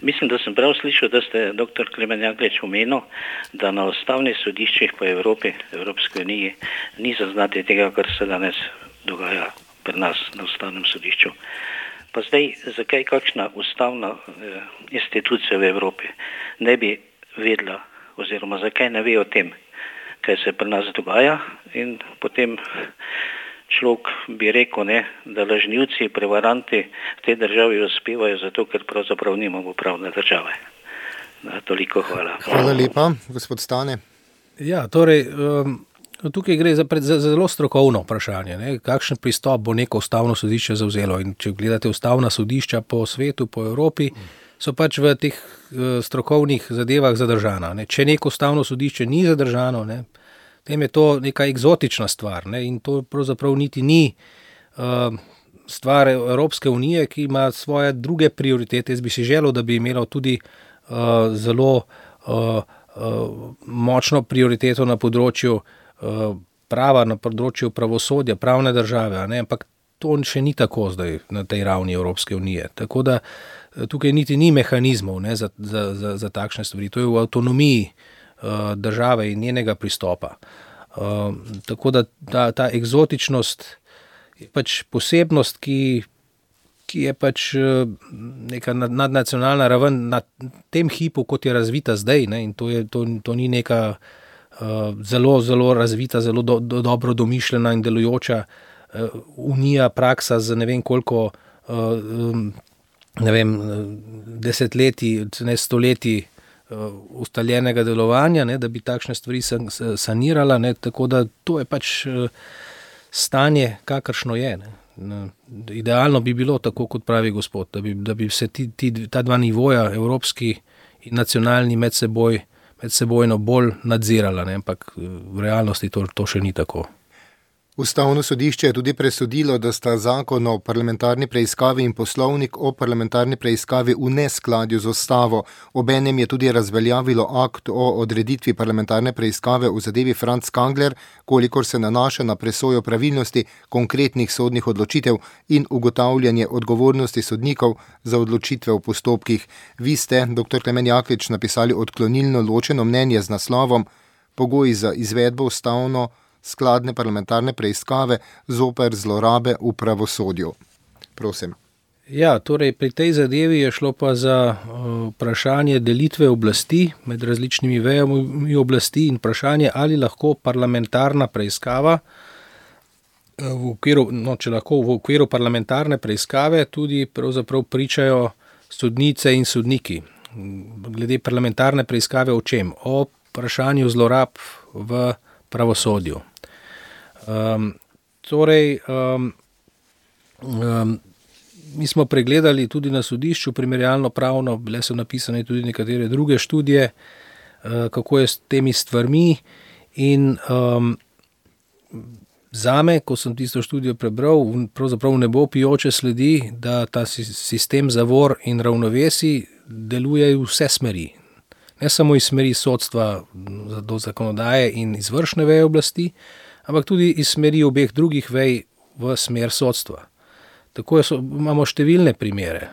Mislim, da sem prav slišal, da ste dr. Klemen Jaklič omenil, da na ustavnih sodiščih po Evropski uniji ni zaznati tega, kar se danes dogaja pri nas na ustavnem sodišču. Pa zdaj, zakaj kakšna ustavna institucija v Evropi ne bi vedela, oziroma zakaj ne ve o tem, kaj se pri nas dogaja, in potem človek bi rekel, ne, da lažnivci, prevaranti v tej državi uspevajo zato, ker pravzaprav nimamo pravne države. Toliko hvala. Hvala lepa, gospod Stane. Ja, torej, tukaj gre za zelo strokovno vprašanje, ne, kakšen pristop bo neko ustavno sodišče zavzelo. In če gledate ustavna sodišča po svetu, po Evropi, so pač v teh strokovnih zadevah zadržana. Ne. Če neko ustavno sodišče ni zadržano, ne, tem je to neka eksotična stvar, ne, in to pravzaprav niti ni stvar Evropske unije, ki ima svoje druge prioritete. Jaz bi si želel, da bi imela tudi zelo močno prioriteto na področju prava, na področju pravosodja, pravne države, ne? Ampak to še ni tako zdaj na tej ravni Evropske unije. Tako da tukaj niti ni mehanizmov, ne, za takšne stvari. To je v avtonomiji države in njenega pristopa. Tako da ta eksotičnost je pač posebnost, ki je pač neka nadnacionalna raven na tem hipu, kot je razvita zdaj, ne, in to ni neka zelo, zelo razvita, zelo dobro domišljena in delujoča unija, praksa za ne vem koliko desetletij, ne stoletij ustaljenega delovanja, ne, da bi takšne stvari sanirala, ne, tako da to je pač stanje, kakršno je. Ne. Idealno bi bilo tako, kot pravi gospod, da bi se ta dva nivoja, evropski in nacionalni, medsebojno bolj nadzirala, ne, ampak v realnosti to še ni tako. Ustavno sodišče je tudi presodilo, da sta zakon o parlamentarni preiskavi in poslovnik o parlamentarni preiskavi v neskladju z ustavo. Obenem je tudi razveljavilo akt o odreditvi parlamentarne preiskave v zadevi Franc Kangler, kolikor se nanaša na presojo pravilnosti konkretnih sodnih odločitev in ugotavljanje odgovornosti sodnikov za odločitve v postopkih. Vi ste, dr. Klemen Jaklič, napisali odklonilno ločeno mnenje z naslovom Pogoji za izvedbo ustavno skladne parlamentarne preiskave zoper zlorabe v pravosodju. Prosim. Ja, torej pri tej zadevi je šlo pa za vprašanje delitve oblasti med različnimi vejami oblasti in vprašanje, ali lahko parlamentarna preiskava če lahko v okviru parlamentarne preiskave tudi pravzaprav pričajo sodnice in sodniki. Glede parlamentarne preiskave o čem? O vprašanju zlorab v pravosodju. Mi smo pregledali tudi na sodišču primerjalno pravno, bile so napisane tudi nekatere druge študije, kako je s temi stvarmi in zame, ko sem tisto študijo prebral, pravzaprav ne bo pijoče sledi, da ta sistem zavor in ravnovesij deluje v vse smeri. Ne samo iz smeri sodstva do zakonodaje in izvršne veje oblasti, ampak tudi iz smeri obeh drugih vej v smer sodstva. Tako imamo številne primere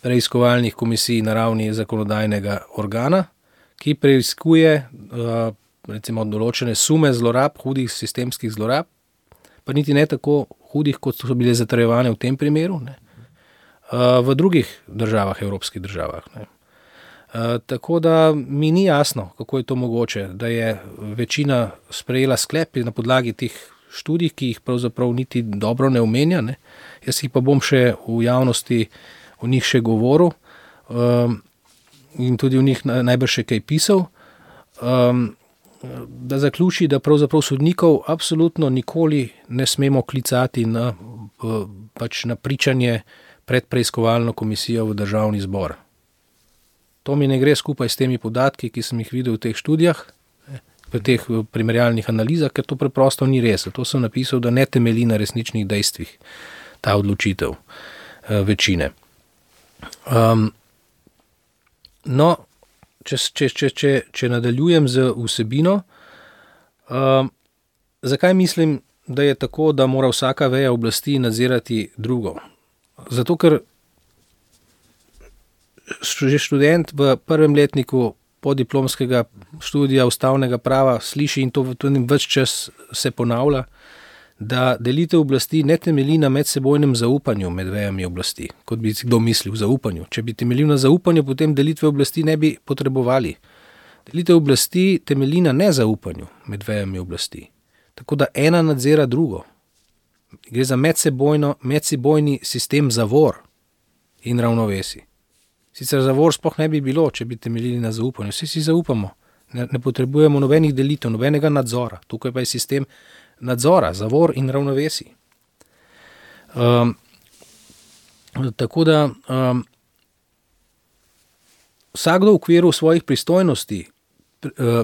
preiskovalnih komisij na ravni zakonodajnega organa, ki preiskuje recimo določene sume zlorab, hudih sistemskih zlorab, pa niti ne tako hudih, kot so bile zatrjevane v tem primeru, ne, v drugih državah, evropskih državah. Ne. Tako da mi ni jasno, kako je to mogoče, da je večina sprejela sklep na podlagi teh študij, ki jih pravzaprav niti dobro ne omenja, ne. Jaz jih pa bom še v javnosti o njih še govoril in tudi o njih najbrž še kaj pisal, da zaključi, da pravzaprav sodnikov absolutno nikoli ne smemo klicati na pričanje pred preiskovalno komisijo v Državni zbor. To mi ne gre skupaj s temi podatki, ki sem jih videl v teh študijah, v teh primerjalnih analizah, ker to preprosto ni res. To sem napisal, da ne temelji na resničnih dejstvih ta odločitev večine. Če nadaljujem z vsebino, zakaj mislim, da je tako, da mora vsaka veja oblasti nadzirati drugo? Zato, ker že študent v prvem letniku podiplomskega študija ustavnega prava sliši in to tudi več čas se ponavlja, da delitev oblasti ne temelji na medsebojnem zaupanju med vejami oblasti, kot bi si kdo mislil, zaupanju. Če bi temeljil na zaupanju, potem delitve oblasti ne bi potrebovali. Delitev oblasti temelji na nezaupanju med vejami oblasti. Tako da ena nadzira drugo. Gre za medsebojni sistem zavor in ravnovesij. Sicer zavor sploh ne bi bilo, če bi temeljili na zaupanju. Vsi si zaupamo. Ne potrebujemo nobenih delitev, nobenega nadzora. Tukaj pa je sistem nadzora, zavor in ravnovesij. Tako da vsakdo v okviru svojih pristojnosti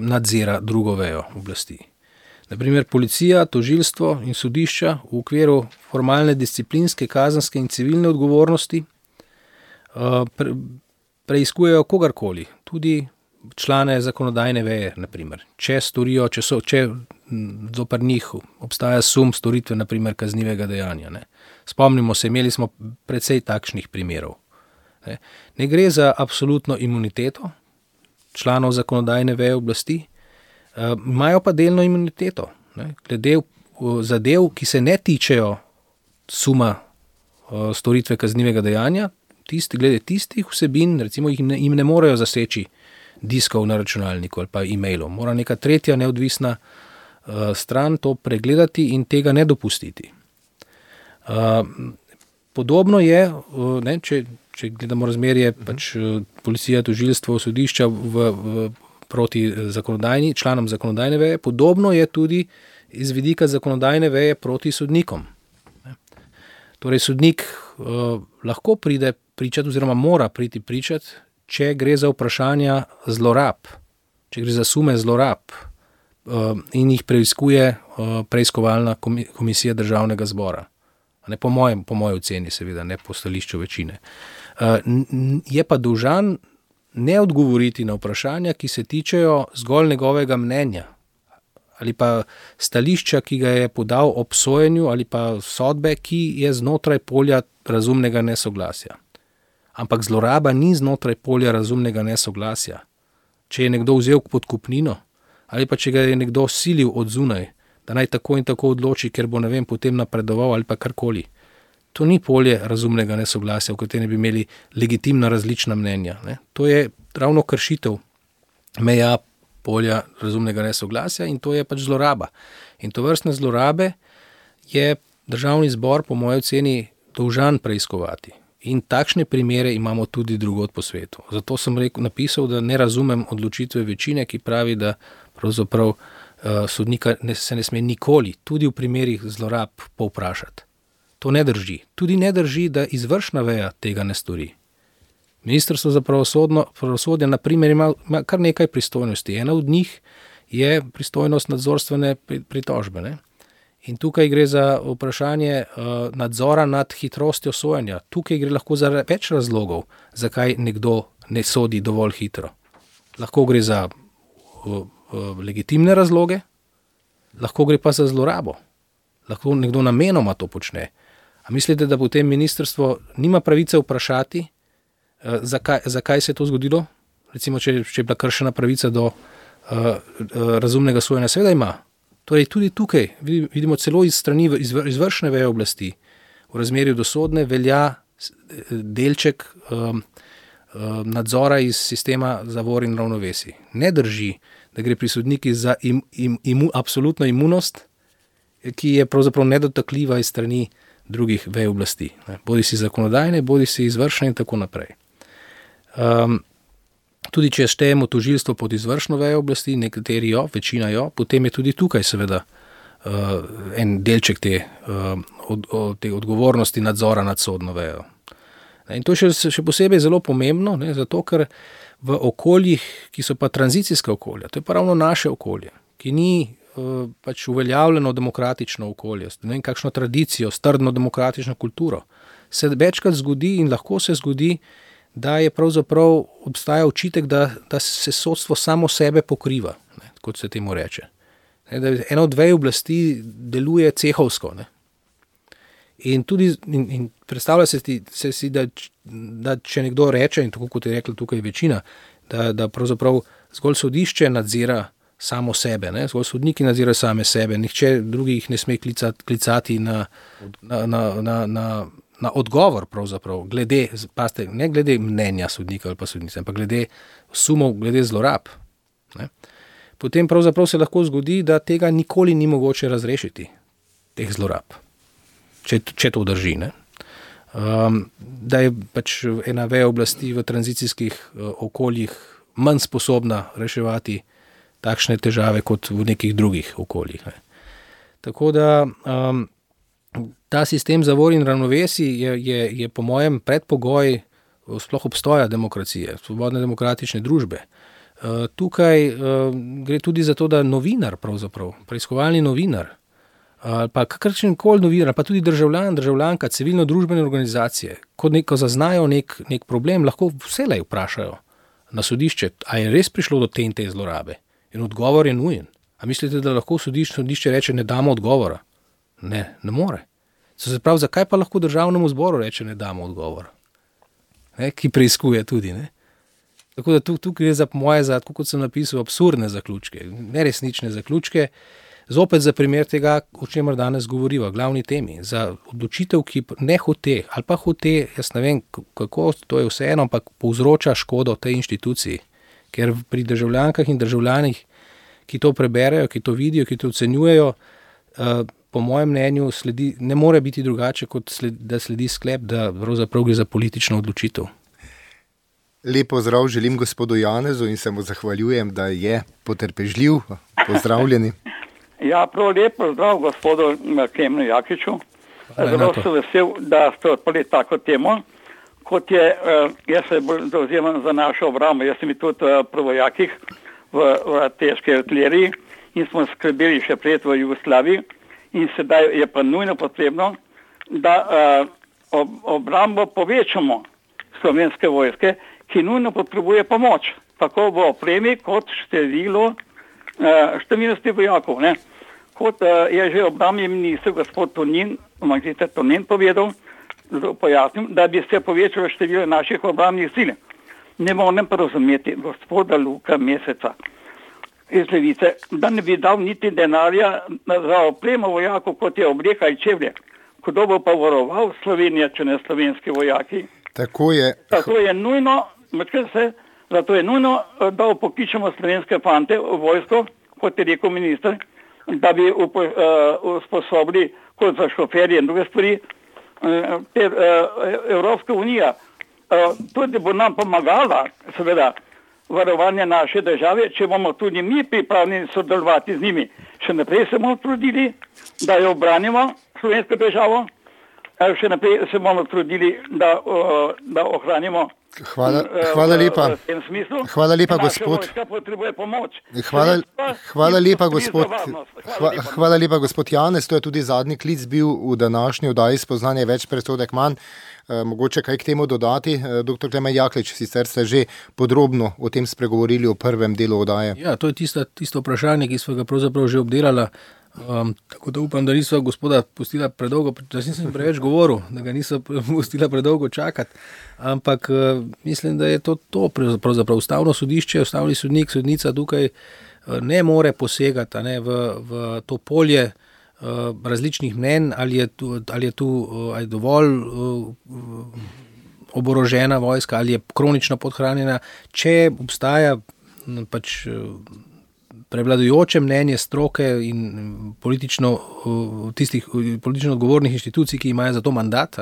nadzira drugo vejo oblasti. Naprimer, policija, tožilstvo in sodišča v okviru formalne disciplinske, kazenske in civilne odgovornosti preiskujejo kogarkoli, tudi člane zakonodajne veje, naprimer. Če zoper njih obstaja sum storitve, naprimer, kaznivega dejanja. Ne. Spomnimo se, imeli smo precej takšnih primerov. Ne gre za absolutno imuniteto članov zakonodajne veje oblasti, imajo pa delno imuniteto. Glede zadev, ki se ne tičejo suma storitve kaznivega dejanja, glede tistih vsebin, recimo jim ne morejo zaseči diskov na računalniku ali pa e-mailov. Mora neka tretja neodvisna stran to pregledati in tega ne dopustiti. Podobno je, ne, če gledamo razmerje policija, tožilstvo, sodišča proti članom zakonodajne veje, podobno je tudi iz vidika zakonodajne veje proti sodnikom. Torej, sodnik lahko pride pričati oziroma mora priti pričati, če gre za vprašanja zlorab, če gre za sume zlorab in jih preiskuje preiskovalna komisija Državnega zbora. Ne, po moji oceni, seveda, ne po stališču večine. Je pa dolžan ne odgovoriti na vprašanja, ki se tičejo zgolj njegovega mnenja ali pa stališča, ki ga je podal ob sojenju ali pa sodbe, ki je znotraj polja razumnega nesoglasja. Ampak zloraba ni znotraj polja razumnega nesoglasja. Če je nekdo vzel podkupnino ali pa če ga je nekdo silil od zunaj, da naj tako in tako odloči, ker bo, ne vem, potem napredoval ali pa karkoli. To ni polje razumnega nesoglasja, v katerem bi imeli legitimna različna mnenja. Ne. To je ravno kršitev meja polja razumnega nesoglasja in to je pač zloraba. In tovrstne zlorabe je Državni zbor po moji oceni dolžan preiskovati. In takšne primere imamo tudi drugod po svetu. Zato sem napisal, da ne razumem odločitve večine, ki pravi, da pravzaprav sodnika se ne sme nikoli, tudi v primerih zlorab, povprašati. To ne drži. Tudi ne drži, da izvršna veja tega ne stori. Ministrstvo za pravosodje, na primer, ima kar nekaj pristojnosti. Ena od njih je pristojnost nadzorstvene pritožbe. Ne? In tukaj gre za vprašanje nadzora nad hitrostjo sojenja. Tukaj gre lahko za več razlogov, zakaj nekdo ne sodi dovolj hitro. Lahko gre za legitimne razloge, lahko gre pa za zlorabo. Lahko nekdo namenoma to počne. A mislite, da potem ministrstvo nima pravice vprašati, zakaj se je to zgodilo? Recimo, če je bila kršena pravica do razumnega sojenja, seveda ima. Torej, tudi tukaj vidimo celo iz strani izvršne veje oblasti v razmerju do sodne velja delček nadzora iz sistema zavor in ravnovesij. Ne drži, da gre pri sodnikih za absolutno imunost, ki je pravzaprav nedotakljiva iz strani drugih vej oblasti. Bodi si zakonodajne, bodi si izvršne in tako naprej. Tudi če štejemo tožilstvo pod izvršno vejo oblasti, nekateri jo, večina jo, potem je tudi tukaj seveda en delček te odgovornosti nadzora nad sodno vejo. In to je še posebej zelo pomembno, ne, zato ker v okoljih, ki so pa tranzicijska okolja, to je pa ravno naše okolje, ki ni pač uveljavljeno demokratično okolje, ne vem kakšno tradicijo, strdno demokratično kulturo, se večkrat zgodi in lahko se zgodi, da je pravzaprav obstaja očitek, da se sodstvo samo sebe pokriva, ne, kot se temu reče. Ne, da ena od vej oblasti deluje cehovsko. Ne. In tudi in predstavlja se si, da če nekdo reče, in tako kot je rekla tukaj večina, da pravzaprav zgolj sodišče nadzira samo sebe, ne, zgolj sodniki nadzirajo same sebe, nihče drugih ne sme klicati na odgovor pravzaprav, ne glede mnenja sodnika ali pa sodnice, ampak glede sumov, glede zlorab. Ne. Potem pravzaprav se lahko zgodi, da tega nikoli ni mogoče razrešiti, teh zlorab, če to drži. Ne. Da je pač ena veja oblasti v tranzicijskih okoljih manj sposobna reševati takšne težave kot v nekih drugih okoljih. Ne. Tako da ta sistem zavor in ravnovesij je po mojem predpogoj sploh obstoja demokracije, svobodne demokratične družbe. Tukaj gre tudi za to, da novinar, pravzaprav, preiskovalni novinar, ali pa kakršen koli novinar, pa tudi državljanka, civilno-družbene organizacije, ko zaznajo nek problem, lahko vselej vprašajo na sodišče, a je res prišlo do te in te zlorabe. In odgovor je nujen. A mislite, da lahko sodišče reče, ne damo odgovora? Ne more. Se pravi, zakaj pa lahko državnemu zboru reče, ne damo odgovora? Ki preiskuje tudi, ne? Tako da tu gre za moje, kot sem napisal, absurdne zaključke, neresnične zaključke, zopet za primer tega, o čemer danes govoriva, glavni temi, za odločitev, ki ne hote, ali pa hote, jaz ne vem, kako, to je vseeno, ampak povzroča škodo tej inštituciji, ker pri državljankah in državljanih, ki to preberejo, ki to vidijo, ki to ocenjujejo, po mojem mnenju ne more biti drugače, kot da sledi sklep, da pravzaprav gre za politično odločitev. Lep pozdrav želim gospodu Janezu in se mu zahvaljujem, da je potrpežljiv. Pozdravljeni. Ja, prav lep pozdrav gospodu Klemenu Jakliču. Zelo sem vesel, da ste odprli tako temo, kot je, jaz se bolj zavzemam za našo obrambo. Jaz sem tudi pri vojakih v težki artileriji in smo skrbeli še pred v Jugoslaviji in sedaj je pa nujno potrebno, da obrambo povečamo slovenske vojske, ki nujno potrebuje pomoč, tako v opremi kot številnosti vojakov. Ne? Kot je že obrambni minister gospod magister Tonin povedal, pojasnil, da bi se povečalo število naših obrambnih sil. Ne morem pa razumeti gospoda Luka Meseca iz Levice, da ne bi dal niti denarja za opremo vojakov, kot je obleka in čevlje. Kdo bo pa varoval Slovenijo, če ne slovenski vojaki? Tako je. Zato je nujno, da upokličemo slovenske fante v vojsko, kot je rekel minister, da bi usposobili kot za šoferje in druge stvari. Evropska unija tudi bo nam pomagala, seveda, varovanje naše države, če bomo tudi mi pripravljeni sodelovati z njimi. Še naprej se bomo trudili, da jo obranimo slovensko državo, še naprej se bomo trudili, da ohranimo. Hvala lepa. Hvala lepa, gospod. Hvala lepa, gospod Janez. To je tudi zadnji klic bil v današnji oddaji Spoznanje več, presodek manj. Mogoče kaj k temu dodati? Dr. Klemen Jaklič, sicer ste že podrobno o tem spregovorili v prvem delu oddaje. Ja, to je tisto vprašanje, ki smo ga pravzaprav že obdelala. Tako da upam, da nisva gospoda pustila predolgo, da nisem preveč govoril, da ga nisva pustila predolgo čakati, ampak mislim, da je to pravzaprav ustavno sodišče, ustavni sodnik, sodnica tukaj ne more posegati v to polje različnih mnenj, ali je dovolj oborožena vojska, ali je kronično podhranjena, če obstaja pač prevladujoče mnenje stroke in politično odgovornih inštitucij, ki imajo za to mandat,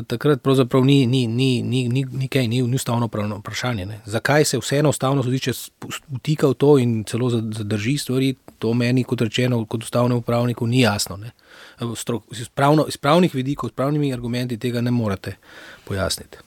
takrat pravzaprav ni ustavno pravno vprašanje. Ne. Zakaj se vseeno ustavno sodišče vtika v to in celo zadrži stvari, to meni, kot rečeno, kot ustavnemu pravniku ni jasno. Ne. Iz pravnih vidikov, s pravnimi argumenti tega ne morete pojasniti.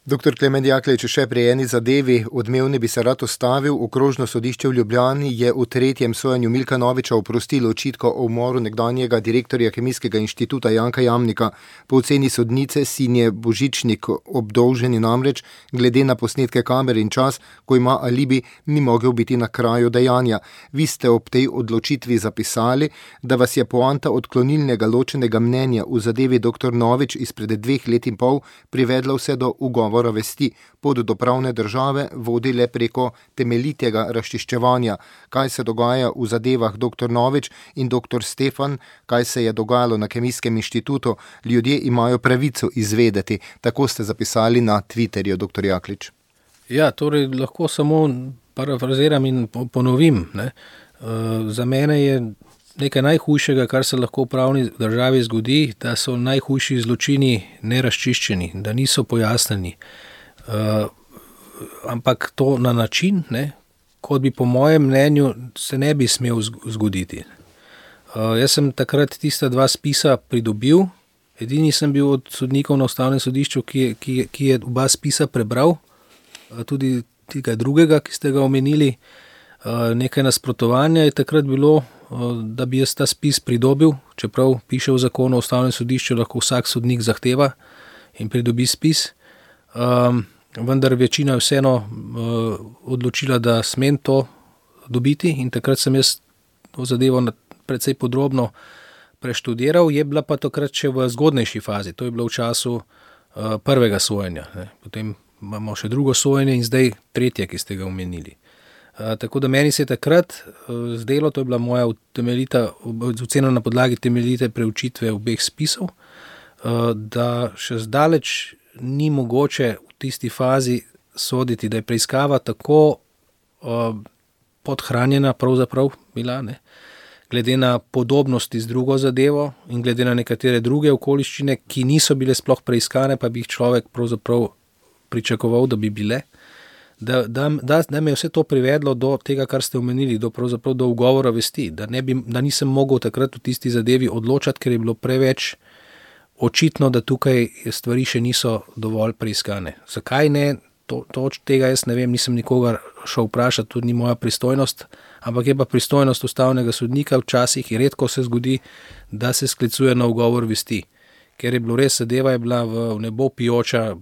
Dr. Klemen Jaklič, še pri eni zadevi odmevni bi se rad ustavil. Okrožno sodišče v Ljubljani je v tretjem sojenju Milka Noviča oprostilo očitka o umoru nekdanjega direktorja Kemijskega inštituta Janka Jamnika. Po oceni sodnice Sinje Božičnik obdolženi namreč glede na posnetke kamer in čas, ko ima alibi, ni mogel biti na kraju dejanja. Vi ste ob tej odločitvi zapisali, da vas je poanta odklonilnega ločenega mnenja v zadevi dr. Novič izpred 2 let in pol privedla vse do ugovora vesti. Pot do pravne države vodi le preko temeljitega razčiščevanja. Kaj se dogaja v zadevah dr. Novič in dr. Stefan, kaj se je dogajalo na Kemijskem inštitutu, ljudje imajo pravico izvedeti. Tako ste zapisali na Twitterju, dr. Jaklič. Ja, torej lahko samo parafraziram in ponovim. Ne. Za mene je nekaj najhujšega, kar se lahko v pravni državi zgodi, da so najhujši zločini nerazčiščeni, da niso pojasnjeni. Ampak to na način, kot bi po mojem mnenju se ne bi smel zgoditi. Jaz sem takrat tista 2 spisa pridobil, edini sem bil od sodnikov na ustavnem sodišču, ki je oba spisa prebral, tudi tega drugega, ki ste ga omenili, nekaj nasprotovanja je takrat bilo, da bi jaz ta spis pridobil, čeprav piše v zakonu o ustavnem sodišču, lahko vsak sodnik zahteva in pridobi spis. Vendar večina je vseeno odločila, da smem to dobiti in takrat sem jaz to zadevo precej podrobno preštudiral, je bila pa takrat še v zgodnejši fazi, to je bilo v času prvega sojenja, ne. Potem imamo še drugo sojenje in zdaj tretje, ki ste ga omenili. Tako da meni se je takrat zdelo, to je bila moja ocena na podlagi temeljite preučitve obeh spisov, da še zdaleč ni mogoče v tisti fazi soditi, da je preiskava tako podhranjena pravzaprav bila, ne, glede na podobnosti z drugo zadevo in glede na nekatere druge okoliščine, ki niso bile sploh preiskane, pa bi jih človek pravzaprav pričakoval, da bi bile, da me je vse to privedlo do tega, kar ste omenili, do ugovora vesti, da nisem mogel takrat v tisti zadevi odločati, ker je bilo preveč očitno, da tukaj stvari še niso dovolj preiskane. Zakaj ne? Tega jaz ne vem, nisem nikogar šel vprašati, tudi ni moja pristojnost, ampak je pa pristojnost ustavnega sodnika, včasih in redko se zgodi, da se sklicuje na ugovor vesti, ker je bilo res, zadeva je bila v nebo pijoča,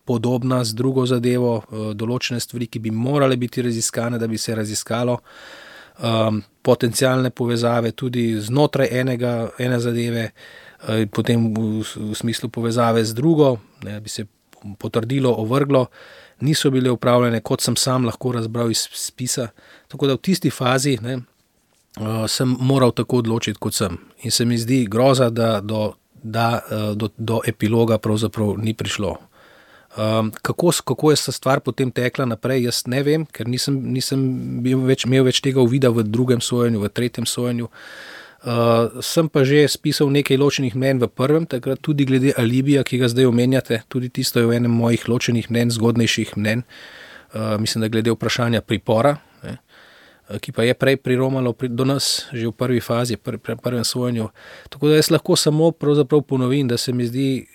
podobna z drugo zadevo, določene stvari, ki bi morale biti raziskane, da bi se raziskalo, potencialne povezave tudi znotraj ene zadeve, potem v smislu povezave z drugo, ne, bi se potrdilo, ovrglo, niso bile upravljene, kot sem sam lahko razbral iz spisa. Tako da v tisti fazi, ne, sem moral tako odločiti, kot sem. In se mi zdi groza, da do epiloga pravzaprav ni prišlo. Kako je ta stvar potem tekla naprej, jaz ne vem, ker nisem imel več tega uvida v drugem sojenju, v tretjem sojenju. Sem pa že spisal nekaj ločenih mnenj v prvem, takrat tudi glede alibija, ki ga zdaj omenjate, tudi tisto je v enem mojih ločenih mnenj, zgodnejših mnenj, mislim, da glede vprašanja pripora, ne, ki pa je prej priromalo do nas, že v prvi fazi, prvem sojenju. Tako da jaz lahko samo pravzaprav ponovim, da se mi zdi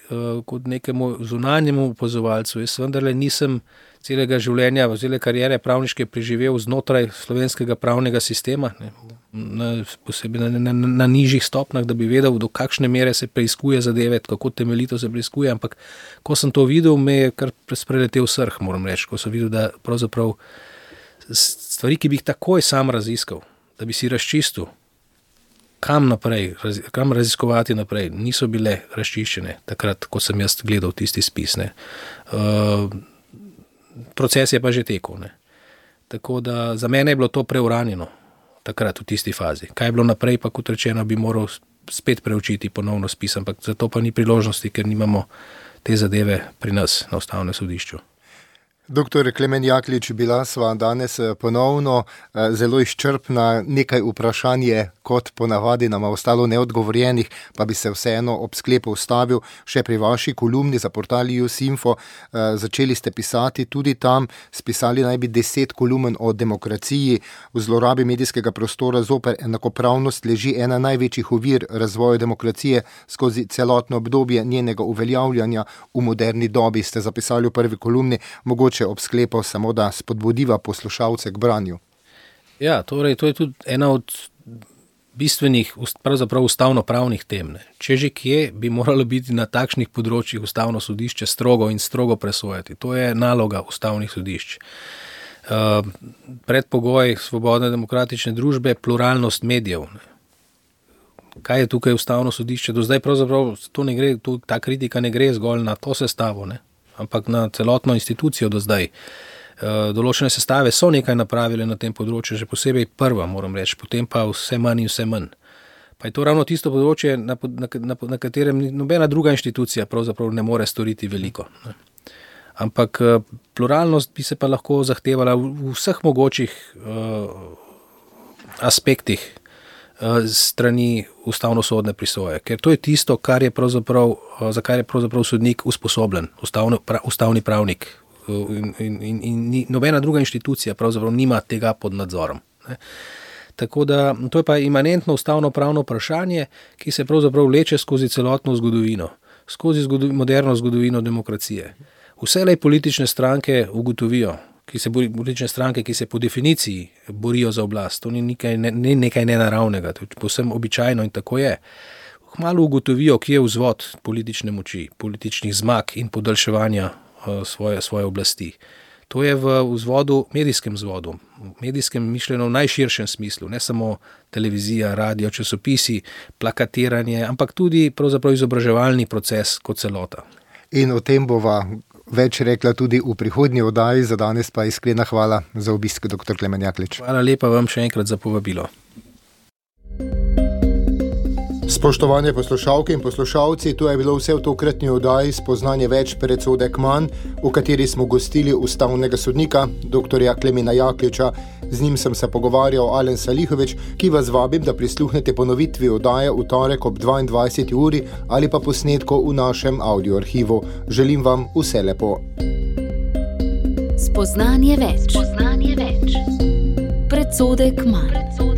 kot nekemu zunanjemu opazovalcu, jaz vendarle nisem celega življenja, cele kariere pravniške preživel znotraj slovenskega pravnega sistema, ne, posebej na nižjih stopnjah, da bi vedel, do kakšne mere se preiskuje zadeve, kako temeljito se preiskuje, ampak ko sem to videl, me je kar spreletel srh, moram reči, ko sem videl, da pravzaprav stvari, ki bi jih takoj sam raziskal, da bi si razčistil, kam raziskovati naprej, niso bile razčiščene takrat, ko sem jaz gledal tisti spis, ne. Proces je pa že tekel, ne. Tako da za mene je bilo to preuranjeno takrat v tisti fazi. Kaj je bilo naprej, pa kot rečeno, bi moral spet preučiti ponovno spis, ampak za to pa ni priložnosti, ker nimamo te zadeve pri nas na ustavnem sodišču. Doktor Klemen Jaklič, bila sva danes ponovno zelo izčrpna, nekaj vprašanje, kot ponavadi nama ostalo neodgovorjenih, pa bi se vseeno ob sklepu ustavil še pri vaši kolumni za portal Jusinfo. Začeli ste pisati tudi tam, spisali naj bi 10 kolumn o demokraciji. V zlorabi medijskega prostora zoper enakopravnost leži ena največjih ovir razvoja demokracije skozi celotno obdobje njenega uveljavljanja v moderni dobi, ste zapisali v prvi kolumni, mogoče ob sklepu samo da spodbudiva poslušalce k branju. Ja, torej to je tudi ena od bistvenih, pravzaprav ustavno-pravnih tem. Ne. Če že kje, bi moralo biti na takšnih področjih ustavno sodišče strogo presojati. To je naloga ustavnih sodišč. Predpogoj svobodne demokratične družbe, pluralnost medijev. Ne. Kaj je tukaj ustavno sodišče? Do zdaj pravzaprav ta kritika ne gre zgolj na to sestavo, ne, ampak na celotno institucijo do zdaj. Določene sestave so nekaj napravile na tem področju, že posebej prva, moram reči, potem pa vse manj in vse manj. Pa je to ravno tisto področje, na katerem nobena druga inštitucija pravzaprav ne more storiti veliko. Ne. Ampak pluralnost bi se pa lahko zahtevala v vseh mogočih aspektih strani ustavnosodne prisoje, ker to je tisto, za kar je pravzaprav sodnik usposobljen, ustavni pravnik. In nobena druga inštitucija pravzaprav nima tega pod nadzorom. Ne. Tako da to je pa imanentno ustavno-pravno vprašanje, ki se pravzaprav vleče skozi celotno zgodovino, skozi moderno zgodovino demokracije. Vselej politične stranke ugotovijo, politične stranke, ki se po definiciji borijo za oblast. To ni nekaj nenaravnega, to je povsem običajno in tako je. Kmalu ugotovijo, kje je vzvod politične moči, političnih zmag in podaljševanja svoje oblasti. To je v vzvodu, medijskem vzvodu, medijskem mišljeno v najširšem smislu, ne samo televizija, radio, časopisi, plakatiranje, ampak tudi pravzaprav izobraževalni proces kot celota. In o tem bova več rekla tudi v prihodnji oddaji, za danes pa iskrena hvala za obisk, dr. Klemen Jaklič. Hvala lepa vam še enkrat za povabilo. Spoštovane poslušalke in poslušalci, to je bilo vse v tokratni oddaji Spoznanje več predsodek manj, v kateri smo gostili ustavnega sodnika, dr. Klemena Jakliča. Z njim sem se pogovarjal Alen Salihovič, ki vas vabim, da prisluhnete ponovitvi oddaje v torek ob 22. uri ali pa posnetko v našem audioarhivu. Želim vam vse lepo. Spoznanje več. Predsodek manj.